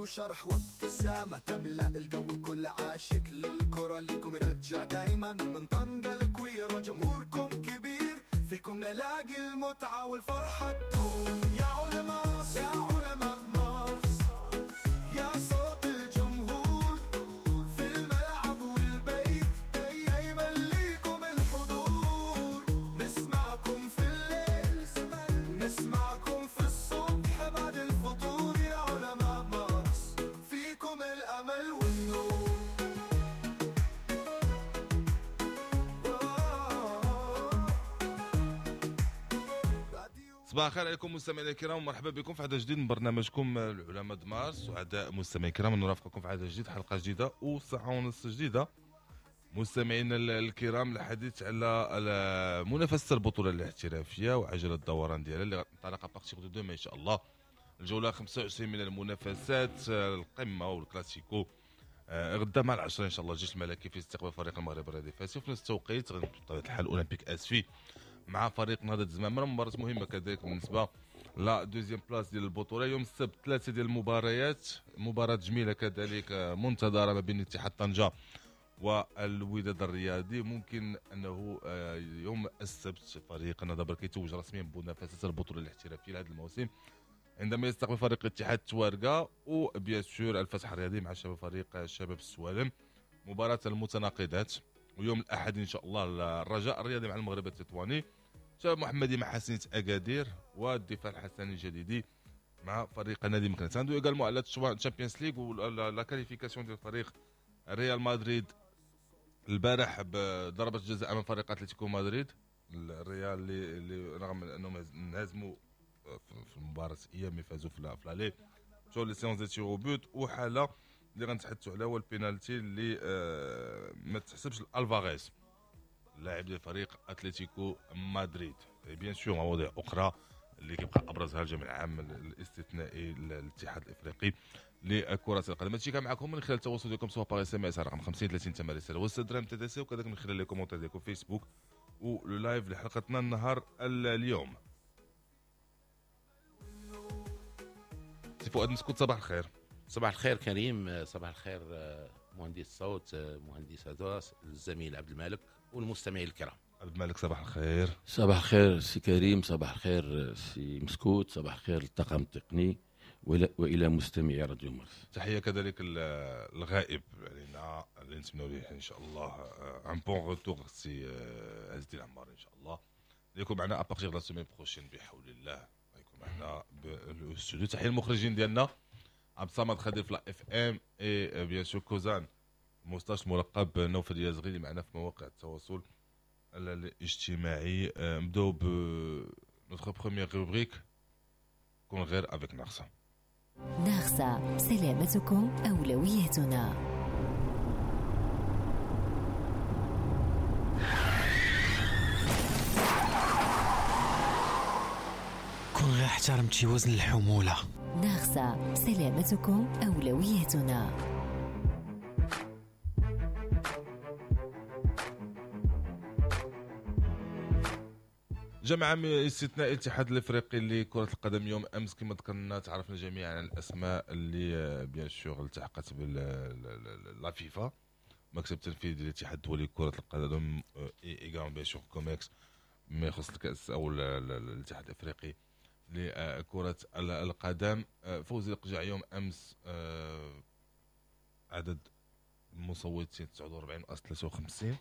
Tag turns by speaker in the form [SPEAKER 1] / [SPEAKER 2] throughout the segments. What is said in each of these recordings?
[SPEAKER 1] وشرح وابتسامة تملأ الجو، كل عاشق للكرة ليكم رجع دايما من طنجة الكويرة، جمهوركم كبير فيكم نلاقي المتعة والفرحة تدوم. يا علماء يا علماء مارس، يا صوت الجمهور في الملعب والبيت، دايما ليكم الحضور. نسمعكم في الليل، نسمعكم في الصبح بعد الفطور. يا علماء مارس فيكم الأمل والنور.
[SPEAKER 2] صباح الخير عليكم مستمعينا الكرام، ومرحبا بكم في عدد جديد من برنامجكم العلماء د مارس. سعداء مستمعينا الكرام نرافقكم في عدد جديد، حلقة جديدة وساعة ونص جديدة. مستمعينا الكرام، الحديث على منافسه البطولة الاحترافية وعجلة الدوران ديالها اللي غتنطلق à partir de demain ان شاء الله. الجولة 25 من المنافسات، القمه والكلاسيكو غدا مع 10 ان شاء الله. الجيش الملكي في استقبال فريق المغرب الرياضي الفاسي، وفي نفس التوقيت بطبيعة الحال اولمبيك اسفي مع فريق نهضة الزمامرة، مباراة مهمة كذلك بالنسبة la deuxième place ديال البطولة. يوم السبت 3 ديال المباريات، مباراة جميلة كذلك منتظرة ما بين اتحاد طنجة والوداد الرياضي. ممكن أنه يوم السبت فريق النهضة كيتوج رسميا بمنافسة البطولة الاحترافية لهذا الموسم عندما يستقبل فريق اتحاد توارقة، و bien sûr الفتح الرياضي مع شباب فريق شباب السوالم، مباراة المتناقضات. ويوم الأحد إن شاء الله الرجاء الرياضي مع المغرب التطواني، شباب محمدي مع حسنية أكادير، والدفاع الحسني الجديدي مع فريق نادي مكناس. عنده également على الشامبيونز ليغ و la qualification ديال فريق ريال مدريد البارح بضربة جزاء امام فريق اتلتيكو مدريد. الريال اللي رغم انهم انهزموا في المباراة الاياب فازوا في l'aller، مشاو les séances de tirs au but، وحاله اللي غنتحدثوا عليها هو البينالتي اللي ما تحسبش الفاريز اللاعب ديال فريق اتلتيكو مدريد. bien sûr مواضيع اخرى اللي كيبقى ابرزها الجمع العام الاستثنائي للاتحاد الافريقي لكرة القدم. هادشي كان معكم من خلال التواصل ديالكم سواء par SMS رقم 50 30 8 رسالة والسدرام TTC، وكذلك من خلال les commentaires ديالكم فيسبوك و le live لحلقتنا النهار اليوم. سي فؤاد مسكوت، صباح الخير.
[SPEAKER 3] صباح الخير كريم، صباح الخير مهندس الصوت، مهندس هدوس، الزميل عبد المالك والمستمعين الكرام.
[SPEAKER 2] عبد المالك صباح الخير.
[SPEAKER 4] صباح الخير سي كريم، صباح الخير سي مسكوت، صباح الخير للطاقم التقني والى مستمعي راديو مارس.
[SPEAKER 2] تحية كذلك الغائب علينا اللي نتمنوا ليه ان شاء الله un bon retour سي عز الدين عمار ان شاء الله، اللي يكون معنا à partir la semaine prochaine بحول الله، يكون معنا بالاستوديو. تحية المخرجين ديالنا عبد الصمد خدير في la FM et bien sûr كوزان موستاش ملقب نوفل يازغي اللي معنا في مواقع التواصل الاجتماعي. نبداو ب notre première rubrique كون غير avec ناغسا.
[SPEAKER 5] ناغسا، سلامتكم اولويتنا.
[SPEAKER 6] كون غير احترمتي وزن الحمولة.
[SPEAKER 5] ناغسا، سلامتكم اولويتنا.
[SPEAKER 2] جمع استثناء الاتحاد الافريقي لكرة القدم يوم امس كما ذكرنا، تعرفنا جميعا على الاسماء اللي bien sûr التحقت ب la FIFA، مكتب التنفيذي للاتحاد الدولي لكرة القدم également bien sûr COMEX ما يخص الكاس او الاتحاد الافريقي لكرة القدم. فوزي القجع يوم امس عدد المصوتين 49.53،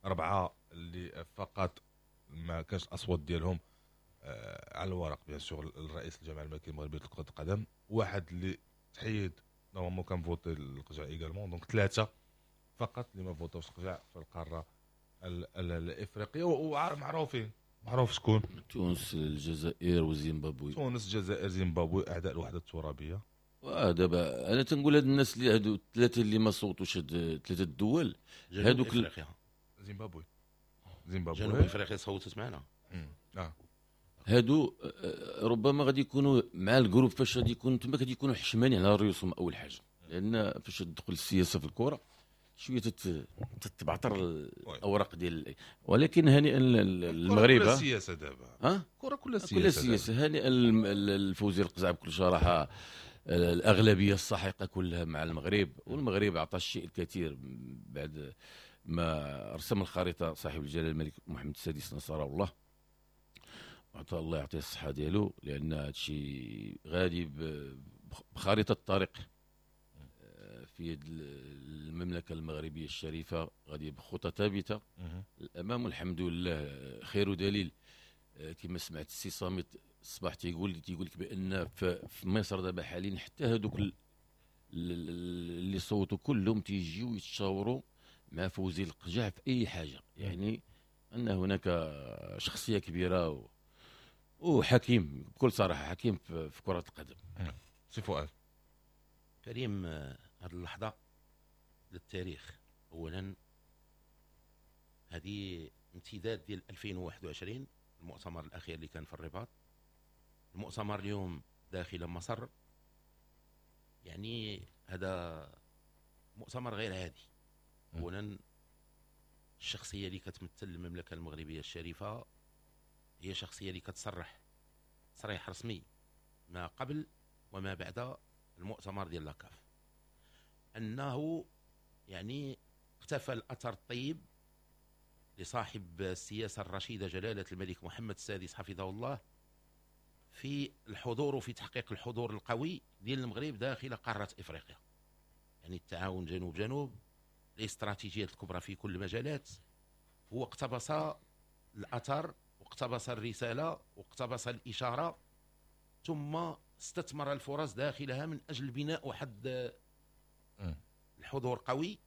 [SPEAKER 2] 4 اللي فقط ما كانش الاصوات ديالهم على الورق. bien sûr الرئيس الجامعة الملكية المغربية لكرة القدم، واحد اللي تحيد normalement كان voté القجع également، donc 3 فقط اللي ما فوتوش القجع في القارة الافريقية، ومعروفين معروف شكون:
[SPEAKER 4] تونس، الجزائر، وزيمبابوي.
[SPEAKER 2] تونس، الجزائر، زيمبابوي، اعداء الوحدة الترابيه.
[SPEAKER 4] دابا انا تنقول هاد الناس اللي هادو الثلاثة اللي ما صوتوش، هاد ثلاثة الدول هادوك،
[SPEAKER 2] زيمبابوي
[SPEAKER 3] جنوب افريقيا صوتت معنا.
[SPEAKER 4] هادو ربما غادي يكونوا مع ال groupe فاش غادي يكونوا تما غادي يكونوا حشمانين على ريوسهم اول حاجة، لان فاش تدخل السياسة في الكره شوية تتبعتر الاوراق ديال، ولكن هنيئا المغرب.
[SPEAKER 2] كره سياسة دابا،
[SPEAKER 4] ها
[SPEAKER 2] كره كلها سياسة،
[SPEAKER 4] كلها سياسة. هنيئا الفوزي القزع بكل صراحة الاغلبية الساحقة كلها مع المغرب، والمغرب اعطى الشيء الكثير بعد ما رسم الخريطة صاحب الجلاله الملك محمد السادس نصره الله، وعطى الله يعطيه الصحة ديالو، لان هذا الشيء غادي بخريطه الطريق في يد المملكة المغربية الشريفة، غادي بخطى ثابتة الامام، والحمد لله خير دليل. كما سمعت السي صامت الصباح تيقول لك بان في مصر دابا حاليا حتى هذوك اللي صوتوا كلهم تيجيو يتشاوروا مع فوزي القجع في اي حاجة، يعني ان هناك شخصية كبيرة وحكيم بكل صراحة، حكيم في كره القدم.
[SPEAKER 2] سي فؤاد
[SPEAKER 3] كريم، هذه اللحظة للتاريخ. اولا هذه امتداد ديال 2021 المؤتمر الاخير اللي كان في الرباط، المؤتمر اليوم داخل مصر، يعني هذا مؤتمر غير عادي. اولا الشخصية اللي كتمثل المملكة المغربية الشريفة هي شخصية اللي كتصرح تصريح رسمي ما قبل وما بعد المؤتمر ديال la CAF، انه يعني اقتفى الاثر الطيب لصاحب السياسة الرشيدة جلاله الملك محمد السادس حفظه الله في الحضور وفي تحقيق الحضور القوي ديال المغرب داخل قارة افريقيا، يعني التعاون جنوب جنوب، الاستراتيجيات الكبرى في كل المجالات. هو اقتبس الاثر واقتبس الرسالة واقتبس الاشارة، ثم استثمر الفرص داخلها من اجل بناء واحد الحضور قوي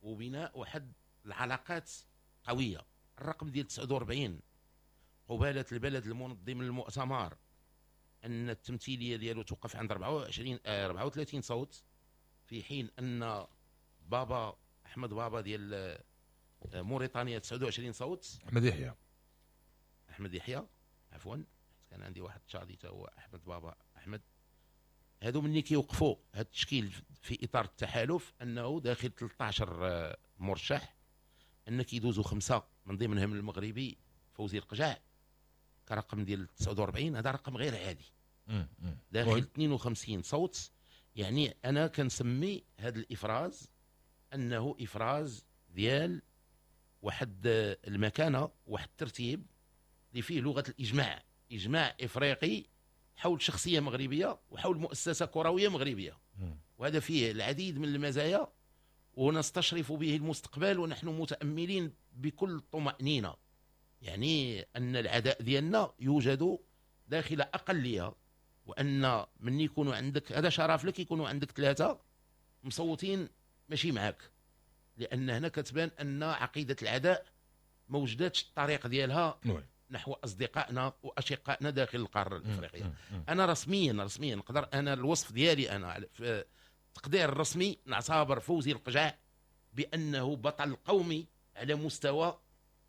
[SPEAKER 3] وبناء واحد العلاقات قوية. الرقم ديال 49 قباله البلد المنظم للمؤتمر ان التمثيلية ديالو توقف عند 24 34 صوت، في حين ان بابا احمد بابا ديال موريتانيا 29 صوت.
[SPEAKER 2] احمد يحيى،
[SPEAKER 3] احمد يحيى عفوا، كان عندي واحد تشادي تا هو احمد بابا احمد. هادو مني كيوقفوا هاد التشكيل في اطار التحالف انه داخل 13 مرشح، ان كيدوزوا 5 من ضمنهم المغربي فوزي القجع كرقم ديال 49، هذا رقم غير عادي داخل 52 صوت. يعني انا كنسمي هذا الافراز انه افراز ديال واحد المكانة، واحد الترتيب اللي فيه لغة الاجماع، اجماع افريقي حول شخصية مغربية وحول مؤسسة كروية مغربية، وهذا فيه العديد من المزايا ونستشرف به المستقبل، ونحن متاملين بكل طمانينة، يعني ان العداء ديالنا يوجد داخل اقلية، وان من يكونوا عندك هذا شرف لك يكونوا عندك 3 مصوتين ماشي معاك، لان هنا كتبان ان عقيدة العداء ما وجداتش الطريق ديالها نحو اصدقائنا واشقائنا داخل القارة الافريقية. انا رسميا نقدر انا الوصف ديالي انا في التقدير الرسمي نعتبر فوزي القجع بانه بطل قومي على مستوى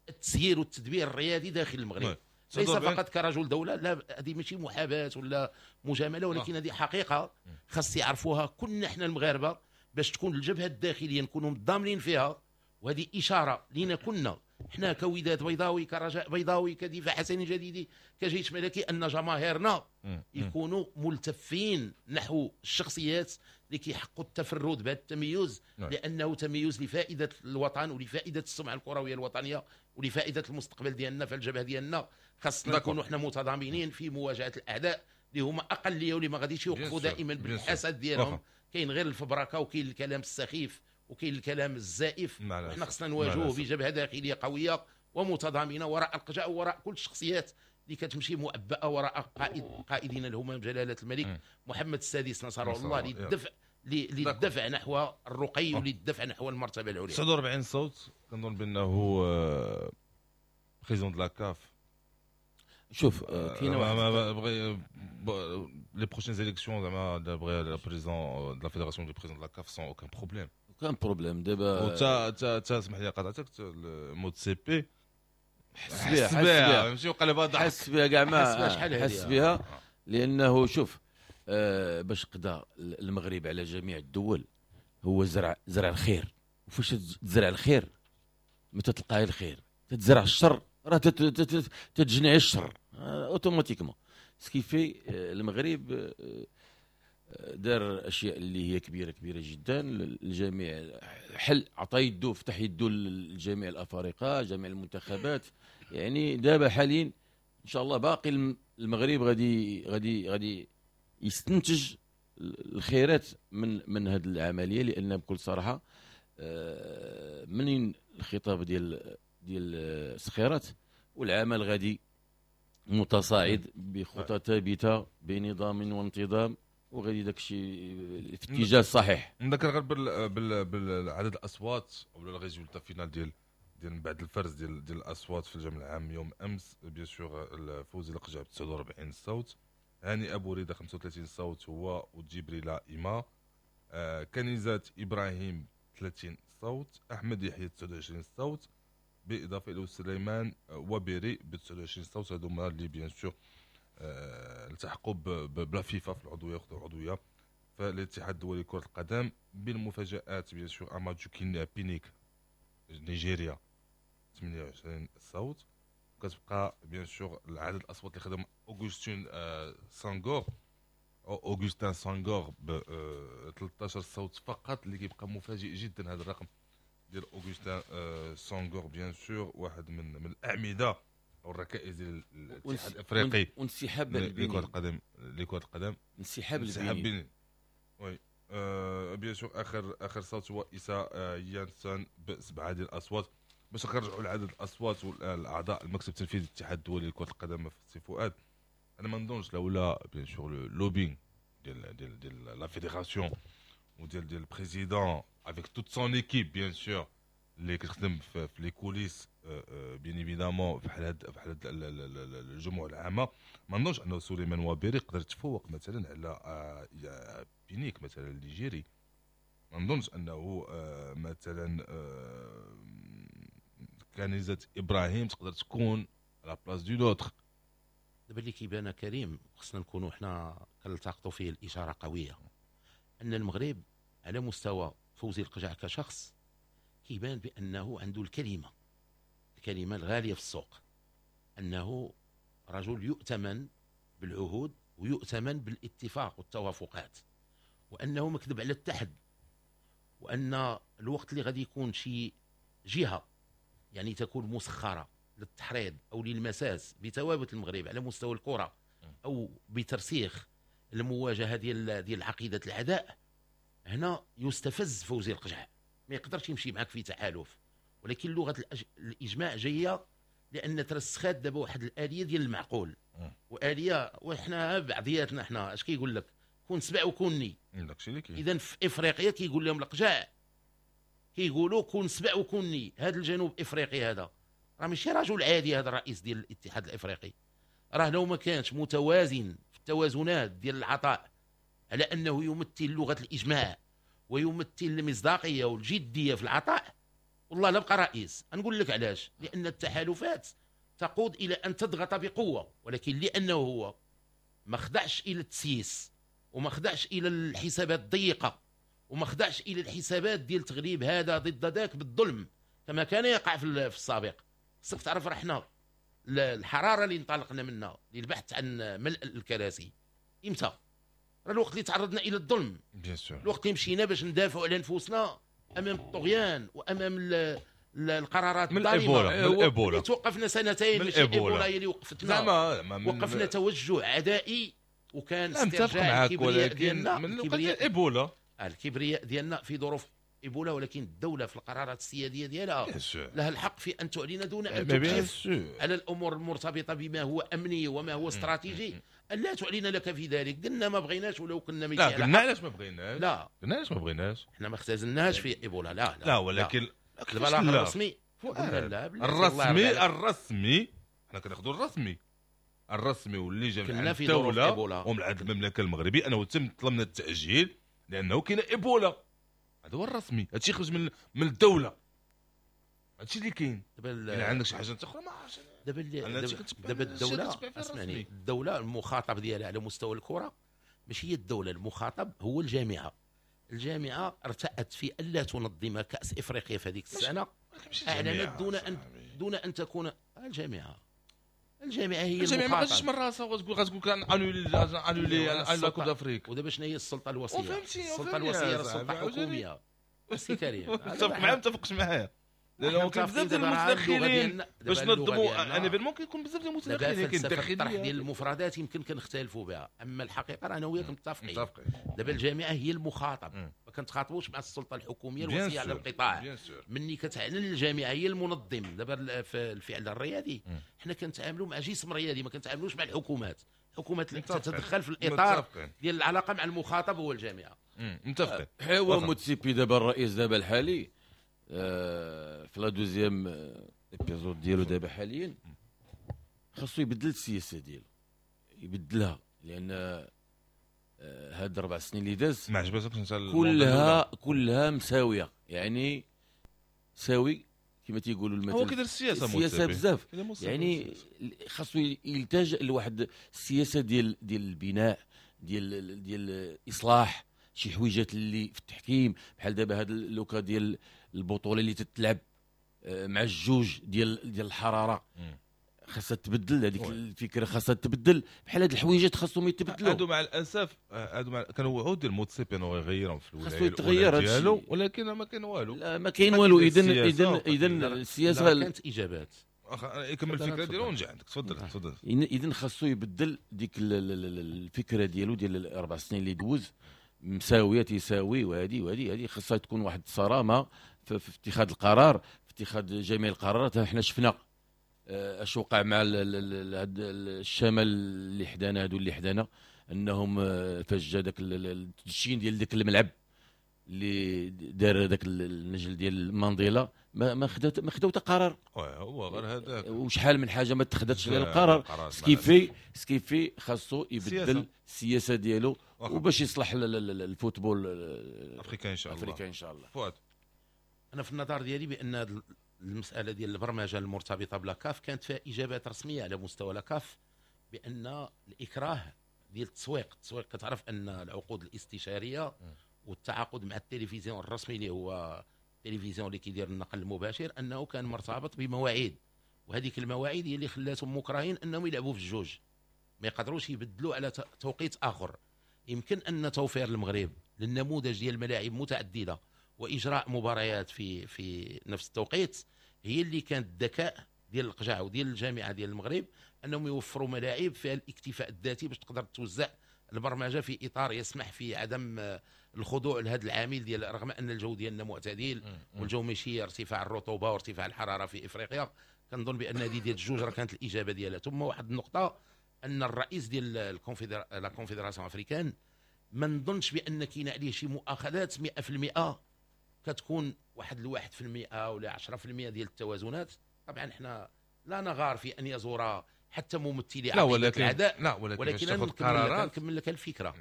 [SPEAKER 3] التسيير والتدبير الرياضي داخل المغرب، ليس فقط كرجل دولة. لا، هذه ماشي محاباة ولا مجاملة، ولكن هذه حقيقة خاص يعرفوها كلنا احنا المغاربة باش تكون الجبهة الداخلية نكونوا متضامنين فيها. وهذه اشارة لينا كنا حنا كوداد بيضاوي، كرجاء بيضاوي، كدفاع حسني جديدي، كجيش ملكي، ان جماهيرنا يكونوا ملتفين نحو الشخصيات اللي كيحققوا التفرد بهذا التميز، لانه تميز لفائدة الوطن ولفائده السمعة الكروية الوطنية ولفائده المستقبل ديالنا. فالجبهه ديالنا خاصنا نكونوا حنا متضامنين في مواجهة الاعداء اللي هما اقلية واللي ما غاديش يوقفوا دائما بالحسد ديالهم. كاين غير الفبركه وكاين الكلام السخيف وكاين الكلام الزائف، وحنا خصنا نواجهوه بجبهه داخلية قوية ومتضامنه وراء القجع وراء كل الشخصيات اللي كتمشي مؤبئه وراء قائدنا الهمام جلاله الملك محمد السادس نصره الله للدفع نحو الرقي وللدفع نحو المرتبة العليا.
[SPEAKER 2] 49 صوت كنظن بانه président de la CAF.
[SPEAKER 4] شوف كاين
[SPEAKER 2] واحد les prochaines élections زعما بغي président de la fédération du président de la CAF sans aucun problème.
[SPEAKER 4] aucun problème دابا.
[SPEAKER 2] وتا تا تا اسمح لي قاطعتك، موتسيبي
[SPEAKER 4] حس بها، حس بها،
[SPEAKER 2] ماشي وقلبها ضحك،
[SPEAKER 4] حس بها كاع ما حس بها، لانه شوف باش قضى المغرب على جميع الدول هو زرع الخير، وفاش تزرع الخير ما تتلقاي الخير، تتزرع الشر راه تتجني الشر automatiquement. ce qui fait المغرب دار اشياء اللي هي كبيرة كبيرة جدا. الجميع حل، عطى يدو، فتح يدو لجميع الافارقة، جميع المنتخبات. يعني دابا حاليا ان شاء الله باقي المغرب غادي يستنتج الخيرات من هذه العمليه، لان بكل صراحة منين الخطاب ديال سخيرات والعمل غادي متصاعد بخطى ثابتة بنظام وانتظام، وغادي داك الشيء في الاتجاه الصحيح.
[SPEAKER 2] نذكر غير بالعدد الاصوات او ال résultat final ديال من بعد الفرز ديال الاصوات في الجمع العام يوم امس. bien sûr فوزي لقجع ب 49 صوت، هاني ابو ريده 35 صوت هو وجبريل ايما، كنيزات ابراهيم 30 صوت، احمد يحيى 29 صوت، بالاضافة الى سليمان وبيري ب 29 صوت. هادو هما اللي bien sûr التحقوا ب la FIFA في العضوية، ياخذوا العضوية في الاتحاد الدولي لكرة القدم. بالمفاجات bien sûr امادو بينيك نيجيريا 28 صوت. كتبقى bien sûr العدد الاصوات اللي خدم اوغوستين سانغور اوغوستان سانغور ب 13 صوت فقط، اللي كيبقى مفاجئ جدا هذا الرقم ديال اوغوستان سانغور. bien sûr واحد من الاعمدة او الركائز ديال الاتحاد الافريقي
[SPEAKER 4] وانسحاب
[SPEAKER 2] لكرة القدم، لكرة القدم
[SPEAKER 4] انسحاب البنين.
[SPEAKER 2] oui bien sûr اخر صوت هو إيسا يانسون بسبعة ديال الاصوات. باش نرجعوا لعدد الاصوات والاعضاء المكتب التنفيذي للاتحاد الدولي لكرة القدم في سي فؤاد، انا ما نظنش لولا bien sûr lobbying ديال ديال ديال la fédération وديال ديال ال président avec toute son équipe bien sûr اللي كتخدم في les coulisses bien évidemment بحال هاد الجموع العامة، ما نظنش انه سليمان وابيري يقدر يتفوق مثلا على بينيك مثلا النيجيري. ما نظنش انه مثلا كنيزة ابراهيم تقدر تكون à la place de l'autre.
[SPEAKER 3] دابا اللي كيبان كريم خصنا نكونوا حنا كنلتقطوا فيه الاشارة قوية، ان المغرب على مستوى فوزي القجع كشخص كيبان بانه عنده الكلمة الغالية في السوق، انه رجل يؤتمن بالعهود ويؤتمن بالاتفاق والتوافقات، وانه مكذب على التحد، وان الوقت اللي غادي يكون شي جهة يعني تكون مسخرة للتحريض او للمساس بثوابت المغرب على مستوى الكره او بترسيخ المواجهة ديال عقيدة العداء، هنا يستفز فوزي القجع، ما يقدرش يمشي معك في تحالف. ولكن لغة الاجماع جاية لان ترسخات دابا واحد الالية ديال المعقول واليه، وحنا بعضياتنا حنا اش كيقول لك كون سبع وكوني. اذا في افريقيا كيقول لهم القجع، كيقولوا كون سبع وكوني. هذا الجنوب افريقي هذا راه ماشي رجل عادي، هذا الرئيس ديال الاتحاد الافريقي راه لو ما كانش متوازن في التوازنات ديال العطاء على انه يمثل لغة الاجماع ويمثل المصداقية والجديه في العطاء، والله لا بقى رئيس. نقول لك علاش، لان التحالفات تقود الى ان تضغط بقوة، ولكن لانه هو ما خدعش الى التسييس وما خدعش الى الحسابات الضيقه وما خدعش الى الحسابات ديال تغليب هذا ضد ذاك بالظلم كما كان يقع في السابق. خصك تعرف راه حنا الحرارة اللي انطلقنا منها للبحث عن ملء الكراسي امتى؟ راه الوقت اللي تعرضنا الى الظلم، الوقت اللي مشينا باش ندافعوا على انفسنا امام الطغيان وامام القرارات الظالمة.
[SPEAKER 2] من الايبولا
[SPEAKER 3] توقفنا سنتين، ماشي ايبولا هي اللي وقفتنا، وقفنا توجه عدائي وكان استرجاع الكبرياء ديالنا،
[SPEAKER 2] من الايبولا
[SPEAKER 3] الكبرياء ديالنا في ظروف ايبولا. ولكن الدولة في القرارات السياديه ديالها لها الحق في ان تعلن دون ان تكشف على الامور المرتبطة بما هو امني وما هو استراتيجي، لا تعلن لك في ذلك. قلنا ما بغيناش ولو كنا
[SPEAKER 2] ميتين. لا قلنا علاش ما بغيناش، لا قلنا علاش ما بغيناش،
[SPEAKER 3] حنا ما اختزلناش في ايبولا. لا لا,
[SPEAKER 2] لا ولكن
[SPEAKER 3] البلاغ الرسمي
[SPEAKER 2] الرسمي الرسمي حنا كناخذوا الرسمي الرسمي واللي جا من الدولة ومن عند المملكة المغربية انه تم طلبنا التاجيل لانه كاين ايبولا. هذا هو الرسمي، هادشي خرج من الدولة، هادشي اللي كاين. دابا عندك شي حاجة اخرى ما عرفتش.
[SPEAKER 3] دابا الدولة اسمعني، الدولة المخاطب ديالها على مستوى الكره ماشي هي الدولة، المخاطب هو الجامعة. الجامعة ارتأت في الا تنظم كاس افريقيا في هذيك السنة، اعلنت دون ان تكون الجامعة. الجامعة هي
[SPEAKER 2] الجامعة ما غاديش من راسها وغتقول غتقول كان annuler la Coupe d'Afrique.
[SPEAKER 3] ودابا شنو هي السلطة الوصية؟ السلطة الوصية راه سلطة حكومية. سي كريم
[SPEAKER 2] متفق معايا متفقش معايا؟ لانه كاين بزاف ديال المتدخلين باش ننظموا un événement، كيكون بزاف ديال المتدخلين،
[SPEAKER 3] كاين الداخلية ديال المفردات يمكن كنختلفوا بها، اما الحقيقة راه انا وياك متفقين. دابا الجامعة هي المخاطب، ما كنتخاطبوش مع السلطة الحكومية الوصية على القطاع. مني كتعلن الجامعة هي المنظم. دابا في الفعل الرياضي حنا كنتعاملوا مع جسم رياضي، ما كنتعاملوش مع الحكومات. الحكومات اللي تتدخل في الاطار ديال العلاقة مع المخاطب هو الجامعة.
[SPEAKER 2] متفقين.
[SPEAKER 4] هو موتسيبي دابا الرئيس دابا الحالي في la deuxième épisode ديالو دابا حاليا خاصو يبدل السياسة ديالو، يبدلها، لان هاد 4 سنين اللي داز
[SPEAKER 2] ما عجبتكش انت
[SPEAKER 4] كلها مساوية، يعني ساوي كما تيقولوا المثل.
[SPEAKER 2] هو كيدير السياسة
[SPEAKER 4] السياسة بزاف، يعني خاصو يلتجئ لواحد السياسة ديال البناء، ديال اصلاح شي حويجات اللي في التحكيم، بحال دابا هاد le cas ديال البطولة اللي تتلعب مع الجوج ديال الحرارة، خاصها تبدل هذيك الفكرة، خاصها تبدل. بحال هاد الحويجات خاصهم يتبدلوا.
[SPEAKER 2] هادو مع الاسف هادو كانوا وعود ديال موتسيبي انه يغيرهم في الولاية الأولى ديالو، ولكن ما كاين والو.
[SPEAKER 4] لا ما كاين والو. اذا السياسة
[SPEAKER 3] كانت اجابات.
[SPEAKER 2] يكمل الفكرة ديالو ونجي عندك. تفضل تفضل.
[SPEAKER 4] اذا خاصو يبدل ديك الفكرة ديالو ديال 4 سنين اللي دوز مساوية تساوي، وهذه وهذه هذه خاصها تكون واحد الصرامه في اتخاذ القرار، في اتخاذ جميع القرارات. حنا شفنا اش وقع مع الشمال اللي حدانا، هادو اللي حدانا، انهم فاش جا داك التدشين ديال داك الملعب اللي دار داك النجل ديال مانديلا، ما خداو حتى قرار.
[SPEAKER 2] هو غير هذاك،
[SPEAKER 4] وشحال من حاجة ما تخداتش على القرار. ce qui fait خاصو يبدل السياسة ديالو وباش يصلح ال football
[SPEAKER 2] africain ان شاء الله.
[SPEAKER 4] africain ان شاء الله.
[SPEAKER 2] فؤاد،
[SPEAKER 3] انا في النظر ديالي بان المسالة ديال البرمجة المرتبطة ب la CAF كانت فيها اجابات رسمية على مستوى la CAF بان الاكراه ديال التسويق كتعرف ان العقود الاستشارية والتعاقد مع التلفزيون الرسمي اللي هو التلفزيون اللي كيدير النقل المباشر انه كان مرتبط بمواعيد، وهذيك المواعيد هي اللي خلاتهم مكرهين انهم يلعبوا في الجوج، ما يقدروش يبدلوا على توقيت اخر. يمكن ان توفير المغرب للنموذج ديال الملاعب متعددة واجراء مباريات في نفس التوقيت هي اللي كانت الذكاء ديال القجع وديال الجامعة ديال المغرب، انهم يوفروا ملاعب فيها الاكتفاء الذاتي باش تقدر توزع البرمجة في اطار يسمح في عدم الخضوع لهذا العامل ديال، رغم ان الجو ديالنا معتدل والجو ماشي ارتفاع الرطوبة وارتفاع الحرارة في افريقيا. كنظن بان هذه ديال الجوج راه كانت الاجابة ديالها. ثم واحد النقطة، ان الرئيس ديال la confédération africaine ما نظنش بان كاين عليه شي مؤاخذات 100%، كتكون واحد 1% ولا 10% ديال التوازنات. طبعا احنا لا نغار في ان يزور حتى ممثلي عقيدة العداء،
[SPEAKER 2] لا ولكن
[SPEAKER 3] نكمل لك الفكرة.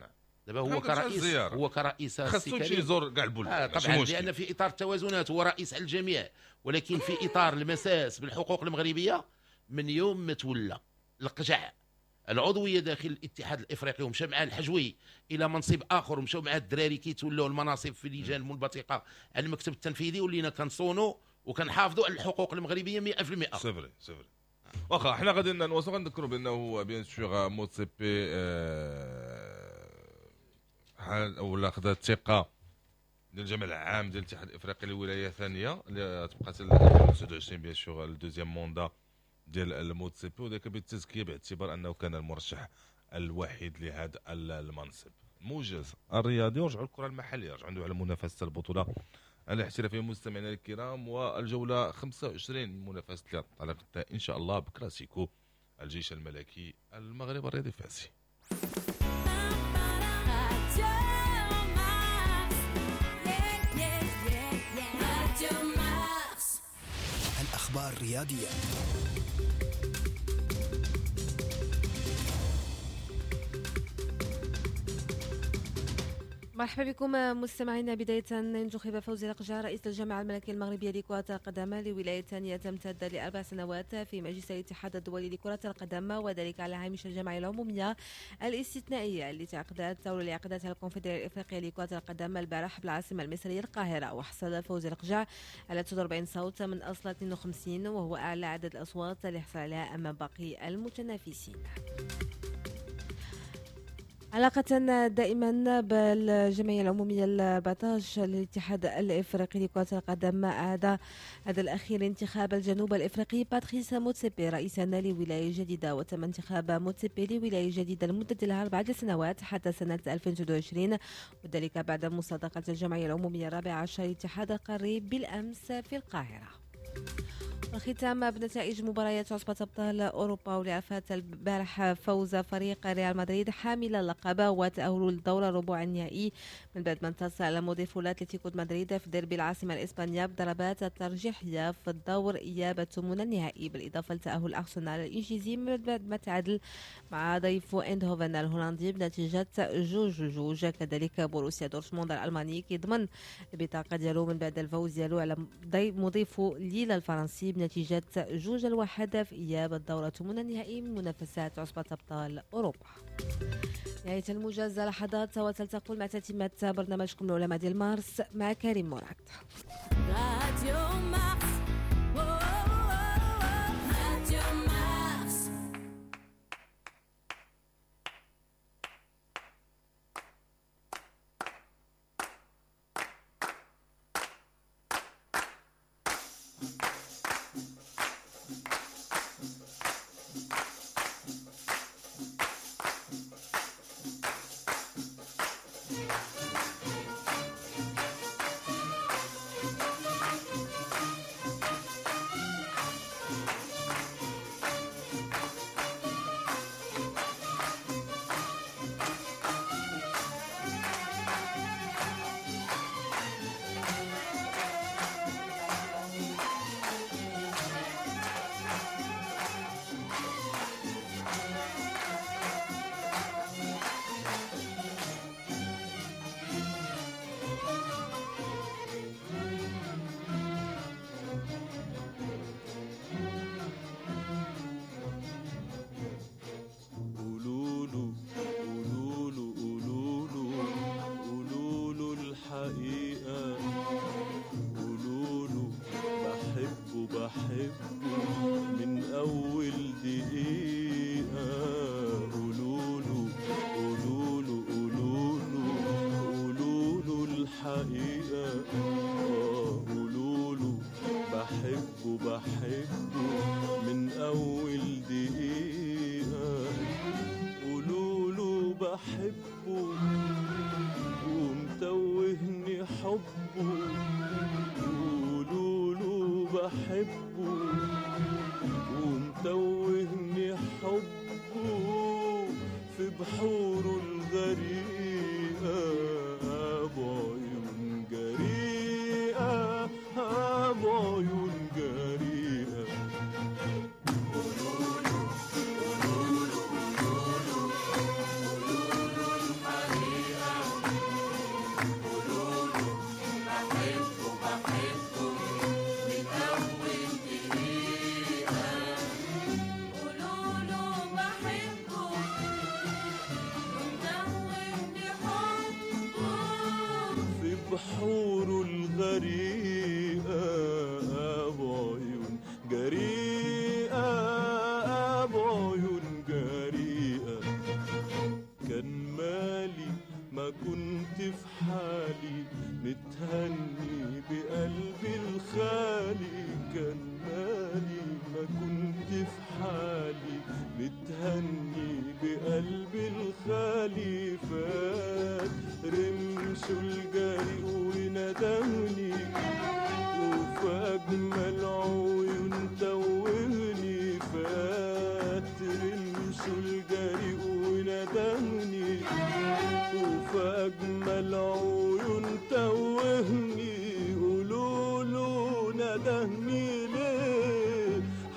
[SPEAKER 3] دابا هو كرئيس، هو كرئيس
[SPEAKER 2] خاصو يمشي يزور كاع البلدان
[SPEAKER 3] طبعا، لان في اطار التوازنات هو رئيس على الجميع، ولكن في اطار المساس بالحقوق المغربية من يوم ما تولى القجع العضوية داخل الاتحاد الافريقي ومشى مع الحجوي الى منصب اخر، ومشاو مع الدراري كيتولاو المناصب في لجان منبثقه على المكتب التنفيذي، ولينا كنصونوا وكنحافظوا على الحقوق المغربية 100%.
[SPEAKER 2] c'est vrai c'est vrai. واخا حنا غادي نواصلوا، غنذكروا بانه bien sûr موتسيبي حال ولا خدا الثقة ديال الجمع العام ديال الاتحاد الافريقي لولاية ثانية اللي تبقى حتى 2029 bien sûr ال deuxième mandat ديال الموتسيبي، وذاك بالتزكيه باعتبار انه كان المرشح الوحيد لهذا المنصب. موجز الرياضي، ورجعوا للكرة المحلية، رجعوا على منافسه البطولة الاحترافية مستمعينا الكرام، والجوله 25 من منافسه اللي انطلقت ان شاء الله بكلاسيكو الجيش الملكي المغرب الرياضي الفاسي.
[SPEAKER 1] الأخبار الرياضية.
[SPEAKER 7] مرحبا بكم مستمعينا. بداية انتخب فوزي لقجع رئيس الجامعة الملكية المغربية لكرة القدم لولاية ثانية تمتد ل4 سنوات في مجلس الاتحاد الدولي لكرة القدم، وذلك على هامش الجمعية العمومية الاستثنائية التي عقدتها الكونفدرالية الإفريقية لكرة القدم البارح بالعاصمة المصرية القاهرة. وحصل فوزي لقجع على 49 صوت من أصل 52، وهو أعلى عدد الأصوات اللي حصل عليها أمام باقي المتنافسين. علاقة دائما بالجمعية العمومية 14 للاتحاد الإفريقي لكرة القدم، أعاد هذا الأخير انتخاب الجنوب الإفريقي باتريس موتسيبي رئيسا لولاية جديدة، وتم انتخاب موتسيبي لولاية جديدة لمدة لها 4 سنوات حتى سنة 2022، وذلك بعد مصادقة الجمعية العمومية 14 للاتحاد القاري بالأمس في القاهرة. الختام بنتائج مباريات عصبة أبطال أوروبا، واللي عرفت البارح فوز فريق ريال مدريد حامل اللقب وتأهل للدور الربع النهائي من بعد ما انتصر على مضيفه أتلتيكو مدريد في ديربي العاصمة الإسبانية بضربات الترجيحية في الدور إياب الثمن النهائي، بالإضافة لتأهل أرسنال الإنجليزي من بعد ما تعادل مع ضيفه إندهوفن الهولندي بنتيجة 2-2. كذلك بوروسيا دورتموند الألماني كيضمن البطاقة ديالو من بعد الفوز ديالو على مضيفه ليل الفرنسي بنتيجة 2-1 في إياب الدورة الثمن النهائي من منافسات عصبة أبطال أوروبا. نهاية الموجز لحظات، وتلتقوا مع تتمة برنامجكم العلماء ديال مارس مع كريم مراد.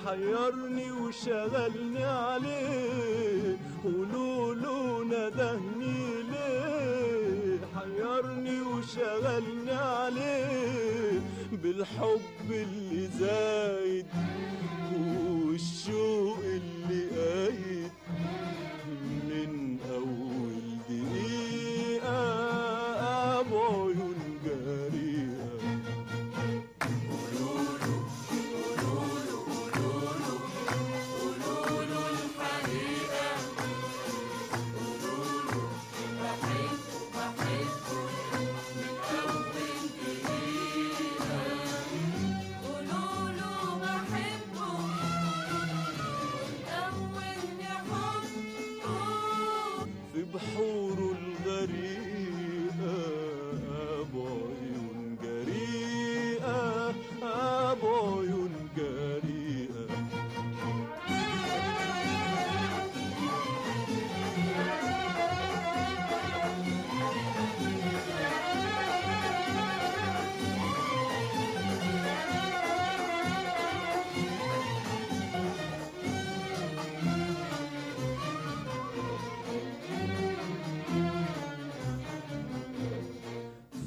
[SPEAKER 8] حيرني وشغلني عليه، قولوا له ندهني ليه، حيرني. سألني عليه بالحب اللي زايد والشوق اللي قايد من أول دقيقة بعيون جريئة.
[SPEAKER 9] قولوله قولوله قولوله قولوله الحقيقة، قولوله بحبه بحبه من أول دقيقة، قولوله بحبه ومدوني حبه
[SPEAKER 8] في بحوره الغريقة بعيون جريئة بعيون جريئة.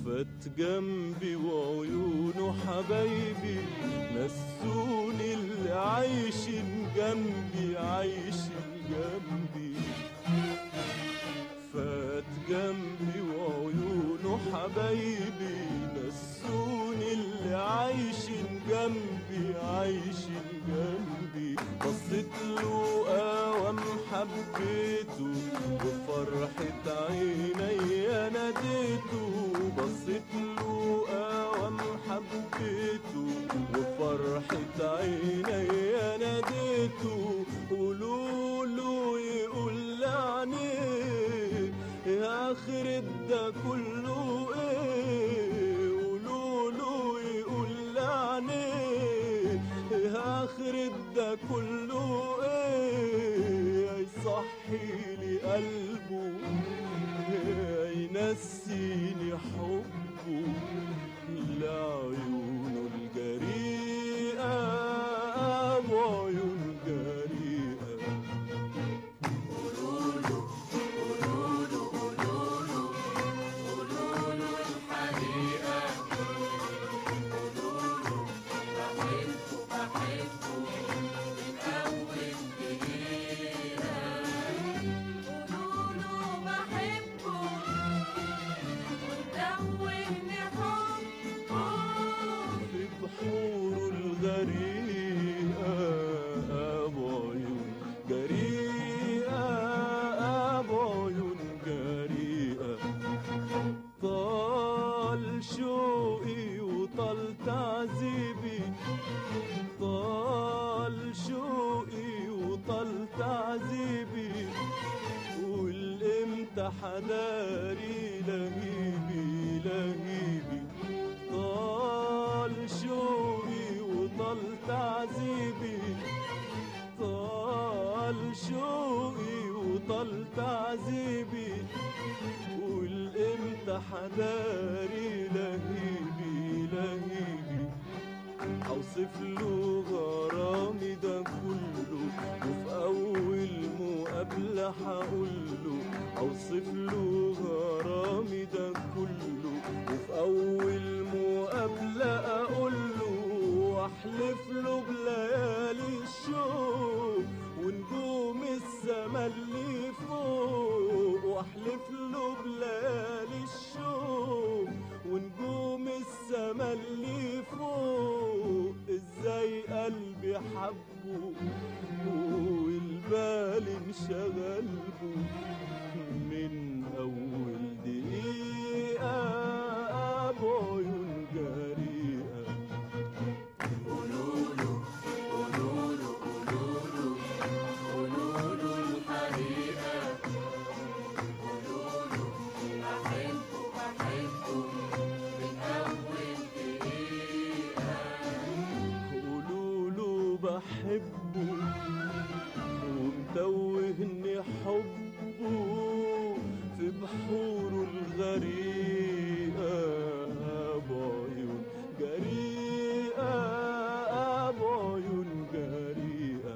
[SPEAKER 8] فات جنبي وعيونه حبايبي نسوني اللي عايشين جنبي عايشين جنبي. فات جنبي وعيونه حبايبي نسوني اللي عايشين جنبي عايشين جنبي. بصيت له قوام حبيته وفرحة عيني ناديته، بصيت له قوام حبيته وفرحة عيني ناديته. قولوله يقول لعنيه يا آخر ده كله ايه، قولوله يقول لعنيه يا آخر ده كله ايه، يصحي لي قلبه ينسيني حبه لعيونه الجريئة بعيون جريئة.
[SPEAKER 9] قولوله قولوله قولوله قولوله الحقيقة، قولوله بحبه بحبه من أول دقيقة، قولوله بحبه ومدوني حبه
[SPEAKER 8] في بحوره الغريقة بعيون جريئة بعيون جريئة. طال شوقي وطال تعذيبي، طال شوقي وطال تعذيبي، والامتى حداري لهيبي لهيبي. طال شوقي وطال تعذيبي، طال شوقي وطال تعذيبي، والامتى حداري لهيبي لهيبي. اوصف له غرامي ده كله وفي اول مقابلة هقوله، اوصف له غرامي ده كله وفي اول مقابلة اقوله، واحلف له بليالي الشوق ونجوم السما اللي فوق، واحلف له بليالي الشوق ونجوم السما اللي فوق. ازاي قلبي حبه والبال انشغل به من اول دقيقة بعيون جريئة.
[SPEAKER 9] قولوله قولوله قولوله قولوله الحقيقة، قولوله بحبه بحبه من أول دقيقة،
[SPEAKER 8] قولوله بحبه ومتوهني حبه في بحوره الغريقة بعيون جريئة بعيون جريئة.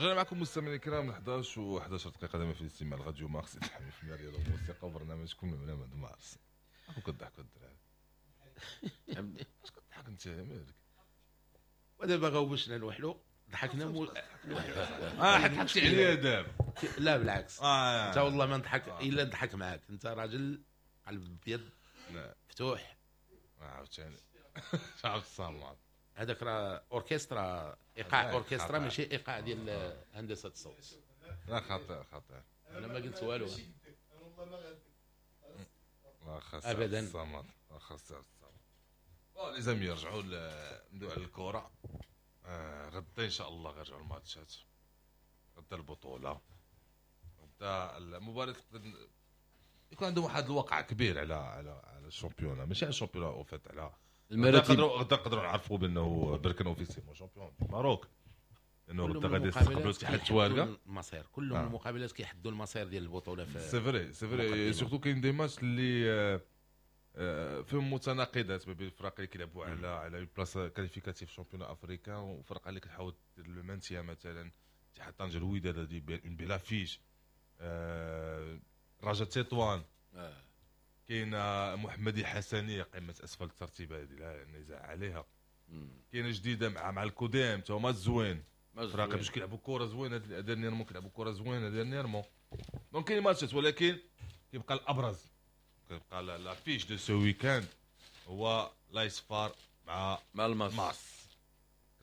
[SPEAKER 2] رجعنا معكم مستمعينا الكرام 11 و11 دقيقة دائما في الاستماع لراديو مارس في الرياضة والموسيقى وبرنامجكم العلماء د مارس. راكم كضحكوا الدراري، اش كضحك انت مالك؟
[SPEAKER 3] ودابا غوبشنا نوحلو ضحكنا
[SPEAKER 2] حكيتي عليا دابا.
[SPEAKER 3] لا بالعكس، انت والله ما نضحك الا نضحك معاك، انت راجل قلب ابيض مفتوح.
[SPEAKER 2] عاوتاني عبد الصمد
[SPEAKER 3] هذاك راه اوركسترا، ايقاع اوركسترا ماشي ايقاع ديال هندسة الصوت.
[SPEAKER 2] لا خطير خطير،
[SPEAKER 3] انا ما قلت والو
[SPEAKER 2] لا خاص
[SPEAKER 3] ابدا.
[SPEAKER 2] الصمد خاص الصمد. les amis رجعوا ندوي على الكره. غدا ان شاء الله غيرجعوا الماتشات، غدا البطولة، غدا المباراة يكون عندهم واحد الوقع كبير على على على ال championnat، ماشي على ال championnat au fait على
[SPEAKER 4] المراتب.
[SPEAKER 2] غدا نقدروا نعرفوا بانه بركان officiellement champion du Maroc، لانه غدا غادي يستقبلوا اتحاد التوارقه.
[SPEAKER 3] المصير كلهم المقابلات كيحدوا المصير ديال البطولة.
[SPEAKER 2] c'est vrai c'est vrai، surtout كاين des matchs اللي فيهم متناقضات ما بين الفرق اللي كيلعبوا على place qualificative championnat africain وفرق اللي كتحاول دير le maintien. مثلا اتحاد طنجه الوداد هذه une belle affiche، رجاء تطوان، كاين محمدي حسني قمة اسفل الترتيب هذه لا نزاع عليها. كاينه جديدة مع الكوديم تا هما زوين، فراقي باش كيلعبوا كره زوينة dernièrement، كيلعبوا كره زوينة dernièrement. donc كاين ماتشات، ولكن كيبقى الابرز كيبقى l'affiche de ce week-end هو l'AS FAR مع الماس،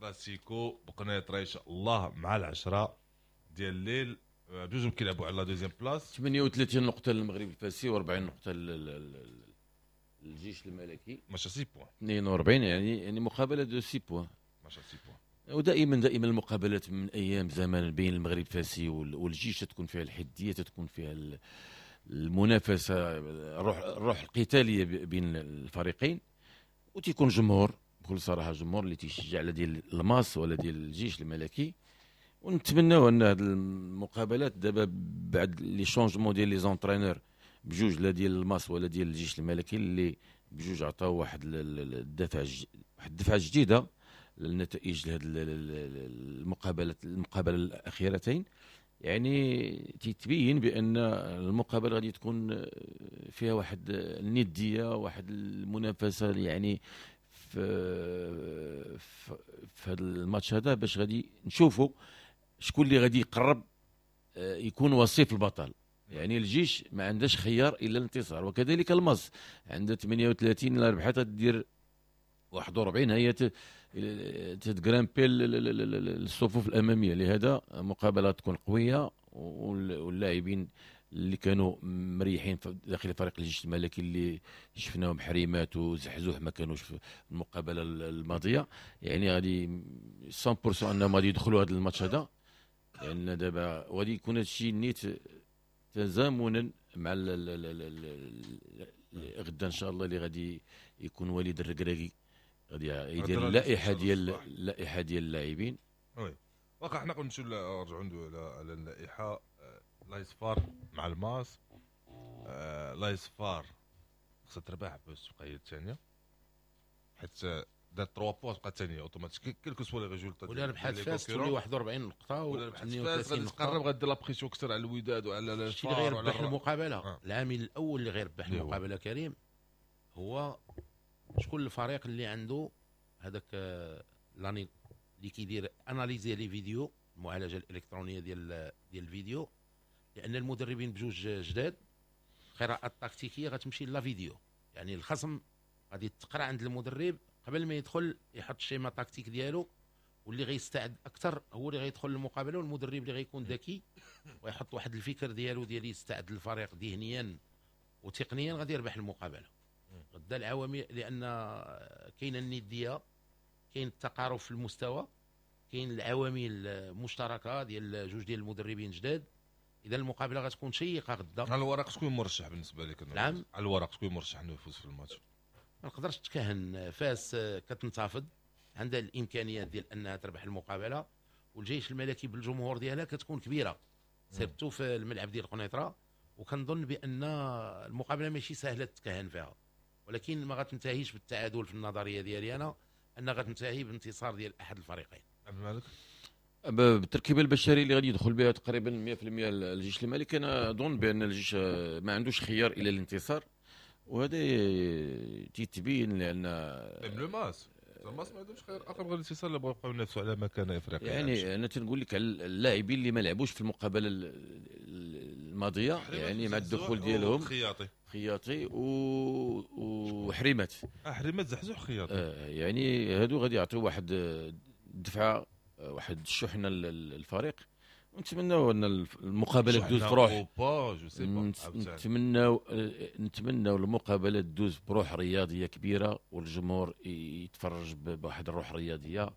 [SPEAKER 2] كلاسيكو بقنيطره ان شاء الله مع 10 ديال الليل. بجوج كيلعبوا على la deuxième place.
[SPEAKER 4] 38 نقطة للمغرب الفاسي و40 نقطة للجيش الملكي،
[SPEAKER 2] ماشي 6 points
[SPEAKER 4] 42، يعني مقابله de 6 points،
[SPEAKER 2] ماشي 6 points.
[SPEAKER 4] ودائما دائما المقابلات من ايام زمان بين المغرب الفاسي والجيش تكون فيها الحدية، تكون فيها المنافسة، الروح القتالية بين الفريقين، وتيكون جمهور بكل صراحة، جمهور اللي تيشجع على ديال الماس ولا ديال الجيش الملكي. ونتمناو ان هذه المقابلات دابا بعد les changements ديال les entraîneurs بجوج، لا ديال الماس ولا ديال الجيش الملكي، اللي بجوج عطاو واحد الدفعة، واحد الدفعة جديدة للنتائج لهذه المقابلة الاخيرتين. يعني تتبين بان المقابلة غادي تكون فيها واحد الندية، واحد المنافسة، يعني في هذا الماتش هذا باش غادي نشوفوا شكون اللي غادي يقرب يكون وصيف البطل. يعني الجيش ما عندهاش خيار الا الانتصار، وكذلك الماس عندها 38 الا ربحت دير 41، هي تت grimper الصفوف الامامية. لهذا مقابله تكون قوية، واللاعبين اللي كانوا مريحين داخل فريق الجيش الملكي اللي شفناهم حريمات وزحزوح ما كانوش في المقابلة الماضية، يعني غادي 100% انهم غادي يدخلوا هذا الماتش هذا، لان دابا وغادي يكون هذا الشيء نيت تزامنا مع غدا ان شاء الله اللي غادي يكون وليد الركراكي غادي يدير اللائحة ديال اللاعبين.
[SPEAKER 2] oui واقع حنا نمشيو نرجعوا ندويو على اللائحة. l'AS FAR مع الماس، l'AS FAR خصها تربح باش تبقى هي الثانية، حيت دارت 3 points تبقى الثانية automatique quel que soit les résultats.
[SPEAKER 3] ولا ربحات فاس تولي 41 نقطة،
[SPEAKER 2] ولا ربحات فاس غادي تقرب، غادي la pression اكثر على الوداد وعلى
[SPEAKER 3] الشيء اللي غيربح المقابلة. العامل الاول اللي غيربح المقابلة كريم هو شكون الفريق اللي عنده هذاك لاني اللي كيدير analyser les vidéos، المعالجة الالكترونية ديال الفيديو، لان المدربين بجوج جداد، القراءة التكتيكيه غتمشي la vidéo، يعني الخصم غادي تقرا عند المدرب قبل ما يدخل يحط ال schéma tactique ديالو، واللي غيستعد اكثر هو اللي غيدخل المقابلة، والمدرب اللي غيكون ذكي ويحط واحد الفكر ديالو ديال يستعد للفريق ذهنيا وتقنيا غادي يربح المقابلة. غدا العوامل، لان كاينه الندية، كاين التقارب في المستوى، كاين العوامل المشتركة ديال جوج ديال المدربين جداد، اذا المقابلة غتكون شيقة غدا.
[SPEAKER 2] على الورق شكون مرشح بالنسبة لك؟
[SPEAKER 3] نعم،
[SPEAKER 2] على الورق شكون مرشح انه يفوز في الماتش؟
[SPEAKER 3] ما نقدرش تكهن. فاس كتنتفض، عندها الامكانيات ديال انها تربح المقابلة، والجيش الملكي بالجمهور ديالها كتكون كبيرة surtout في الملعب ديال قنيطره، وكنظن بان المقابلة ماشي سهلة تكهن فيها، ولكن ما غتنتهيش بالتعادل في النظرية ديالي انا، ان غتنتهي بانتصار ديال احد الفريقين.
[SPEAKER 2] عبد الملك،
[SPEAKER 4] بالتركيبة البشرية اللي غادي يدخل بها تقريبا 100% الجيش الملكي، انا اظن بان الجيش ما عندوش خيار الى الانتصار، وهذا تيتبين لان
[SPEAKER 2] le MAS الماس ما عندهمش خيار اخر غير الانتصار اللي بغاو يبقاو ينافسوا على مكانه افريقيا.
[SPEAKER 4] يعني انا تنقول لك على اللاعبين اللي ما لعبوش في المقابلة الماضية، يعني مع الدخول ديالهم خياطي وحريمات،
[SPEAKER 2] حريمات زحزوح خياطي،
[SPEAKER 4] يعني هادو غادي يعطيو واحد الدفعة، واحد الشحنة للفريق، ونتمناو ان المقابلة تدوز بروح، نتمناو المقابلة تدوز بروح رياضية كبيرة، والجمهور يتفرج بواحد الروح رياضية،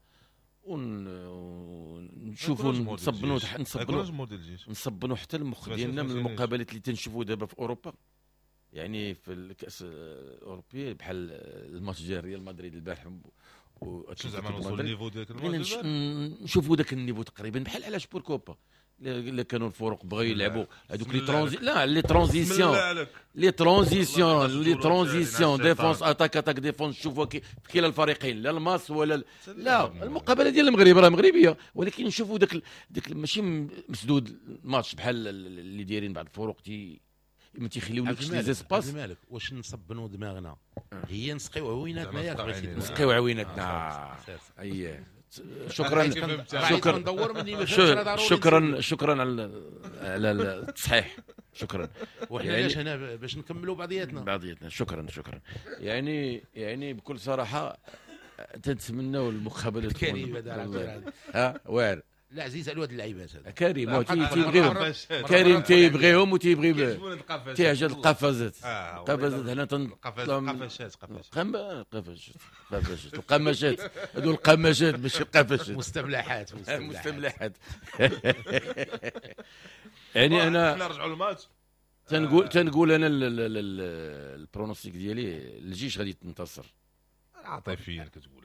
[SPEAKER 4] ونشوفوا نصبنوا حتى المخ ديالنا من المقابلات اللي تنشوفوا دابا في اوروبا، يعني في الكاس الاوروبية بحال الماتش ديال ريال مدريد البارح، نشوفوا ذاك ال niveau تقريبا بحال علاش pourquoi pas الا كانوا الفرق بغاو يلعبوا هذوك les transitions les transitions défense attaque attaque défense، نشوفوا في كلا الفريقين، لا الماس ولا لا المقابلة ديال المغرب راه مغربية، ولكن نشوفوا داك ماشي مسدود الماتش بحال اللي دايرين بعض الفرق ما تيخليولكش les espaces.
[SPEAKER 3] مالك واش نصبنوا دماغنا هي نسقيو عويناتنا، ياك بغيتي
[SPEAKER 4] نسقيو عويناتنا. اييه شكرا شكرا شكرا شكرا على التصحيح، شكرا.
[SPEAKER 3] وحنا علاش هنا باش نكملوا بعضياتنا. شكرا
[SPEAKER 4] شكرا. يعني بكل صراحة تنتمناو المقابلة
[SPEAKER 3] تكون
[SPEAKER 4] ها واعر.
[SPEAKER 3] لا عزيز على هاد اللعيبات هذا
[SPEAKER 4] كريم تيبغيهم، كريم تيبغيهم وتيبغي تيعجب القفازات. القفازات هنا
[SPEAKER 2] قفشات
[SPEAKER 4] قفشات القماشات، هادو القماشات ماشي القفشات،
[SPEAKER 3] مستملحات
[SPEAKER 4] مستملحات. يعني انا
[SPEAKER 2] نرجعوا للماتش،
[SPEAKER 4] تنقول انا ال pronostic ديالي الجيش غادي تنتصر.
[SPEAKER 2] عاطفيا كتقول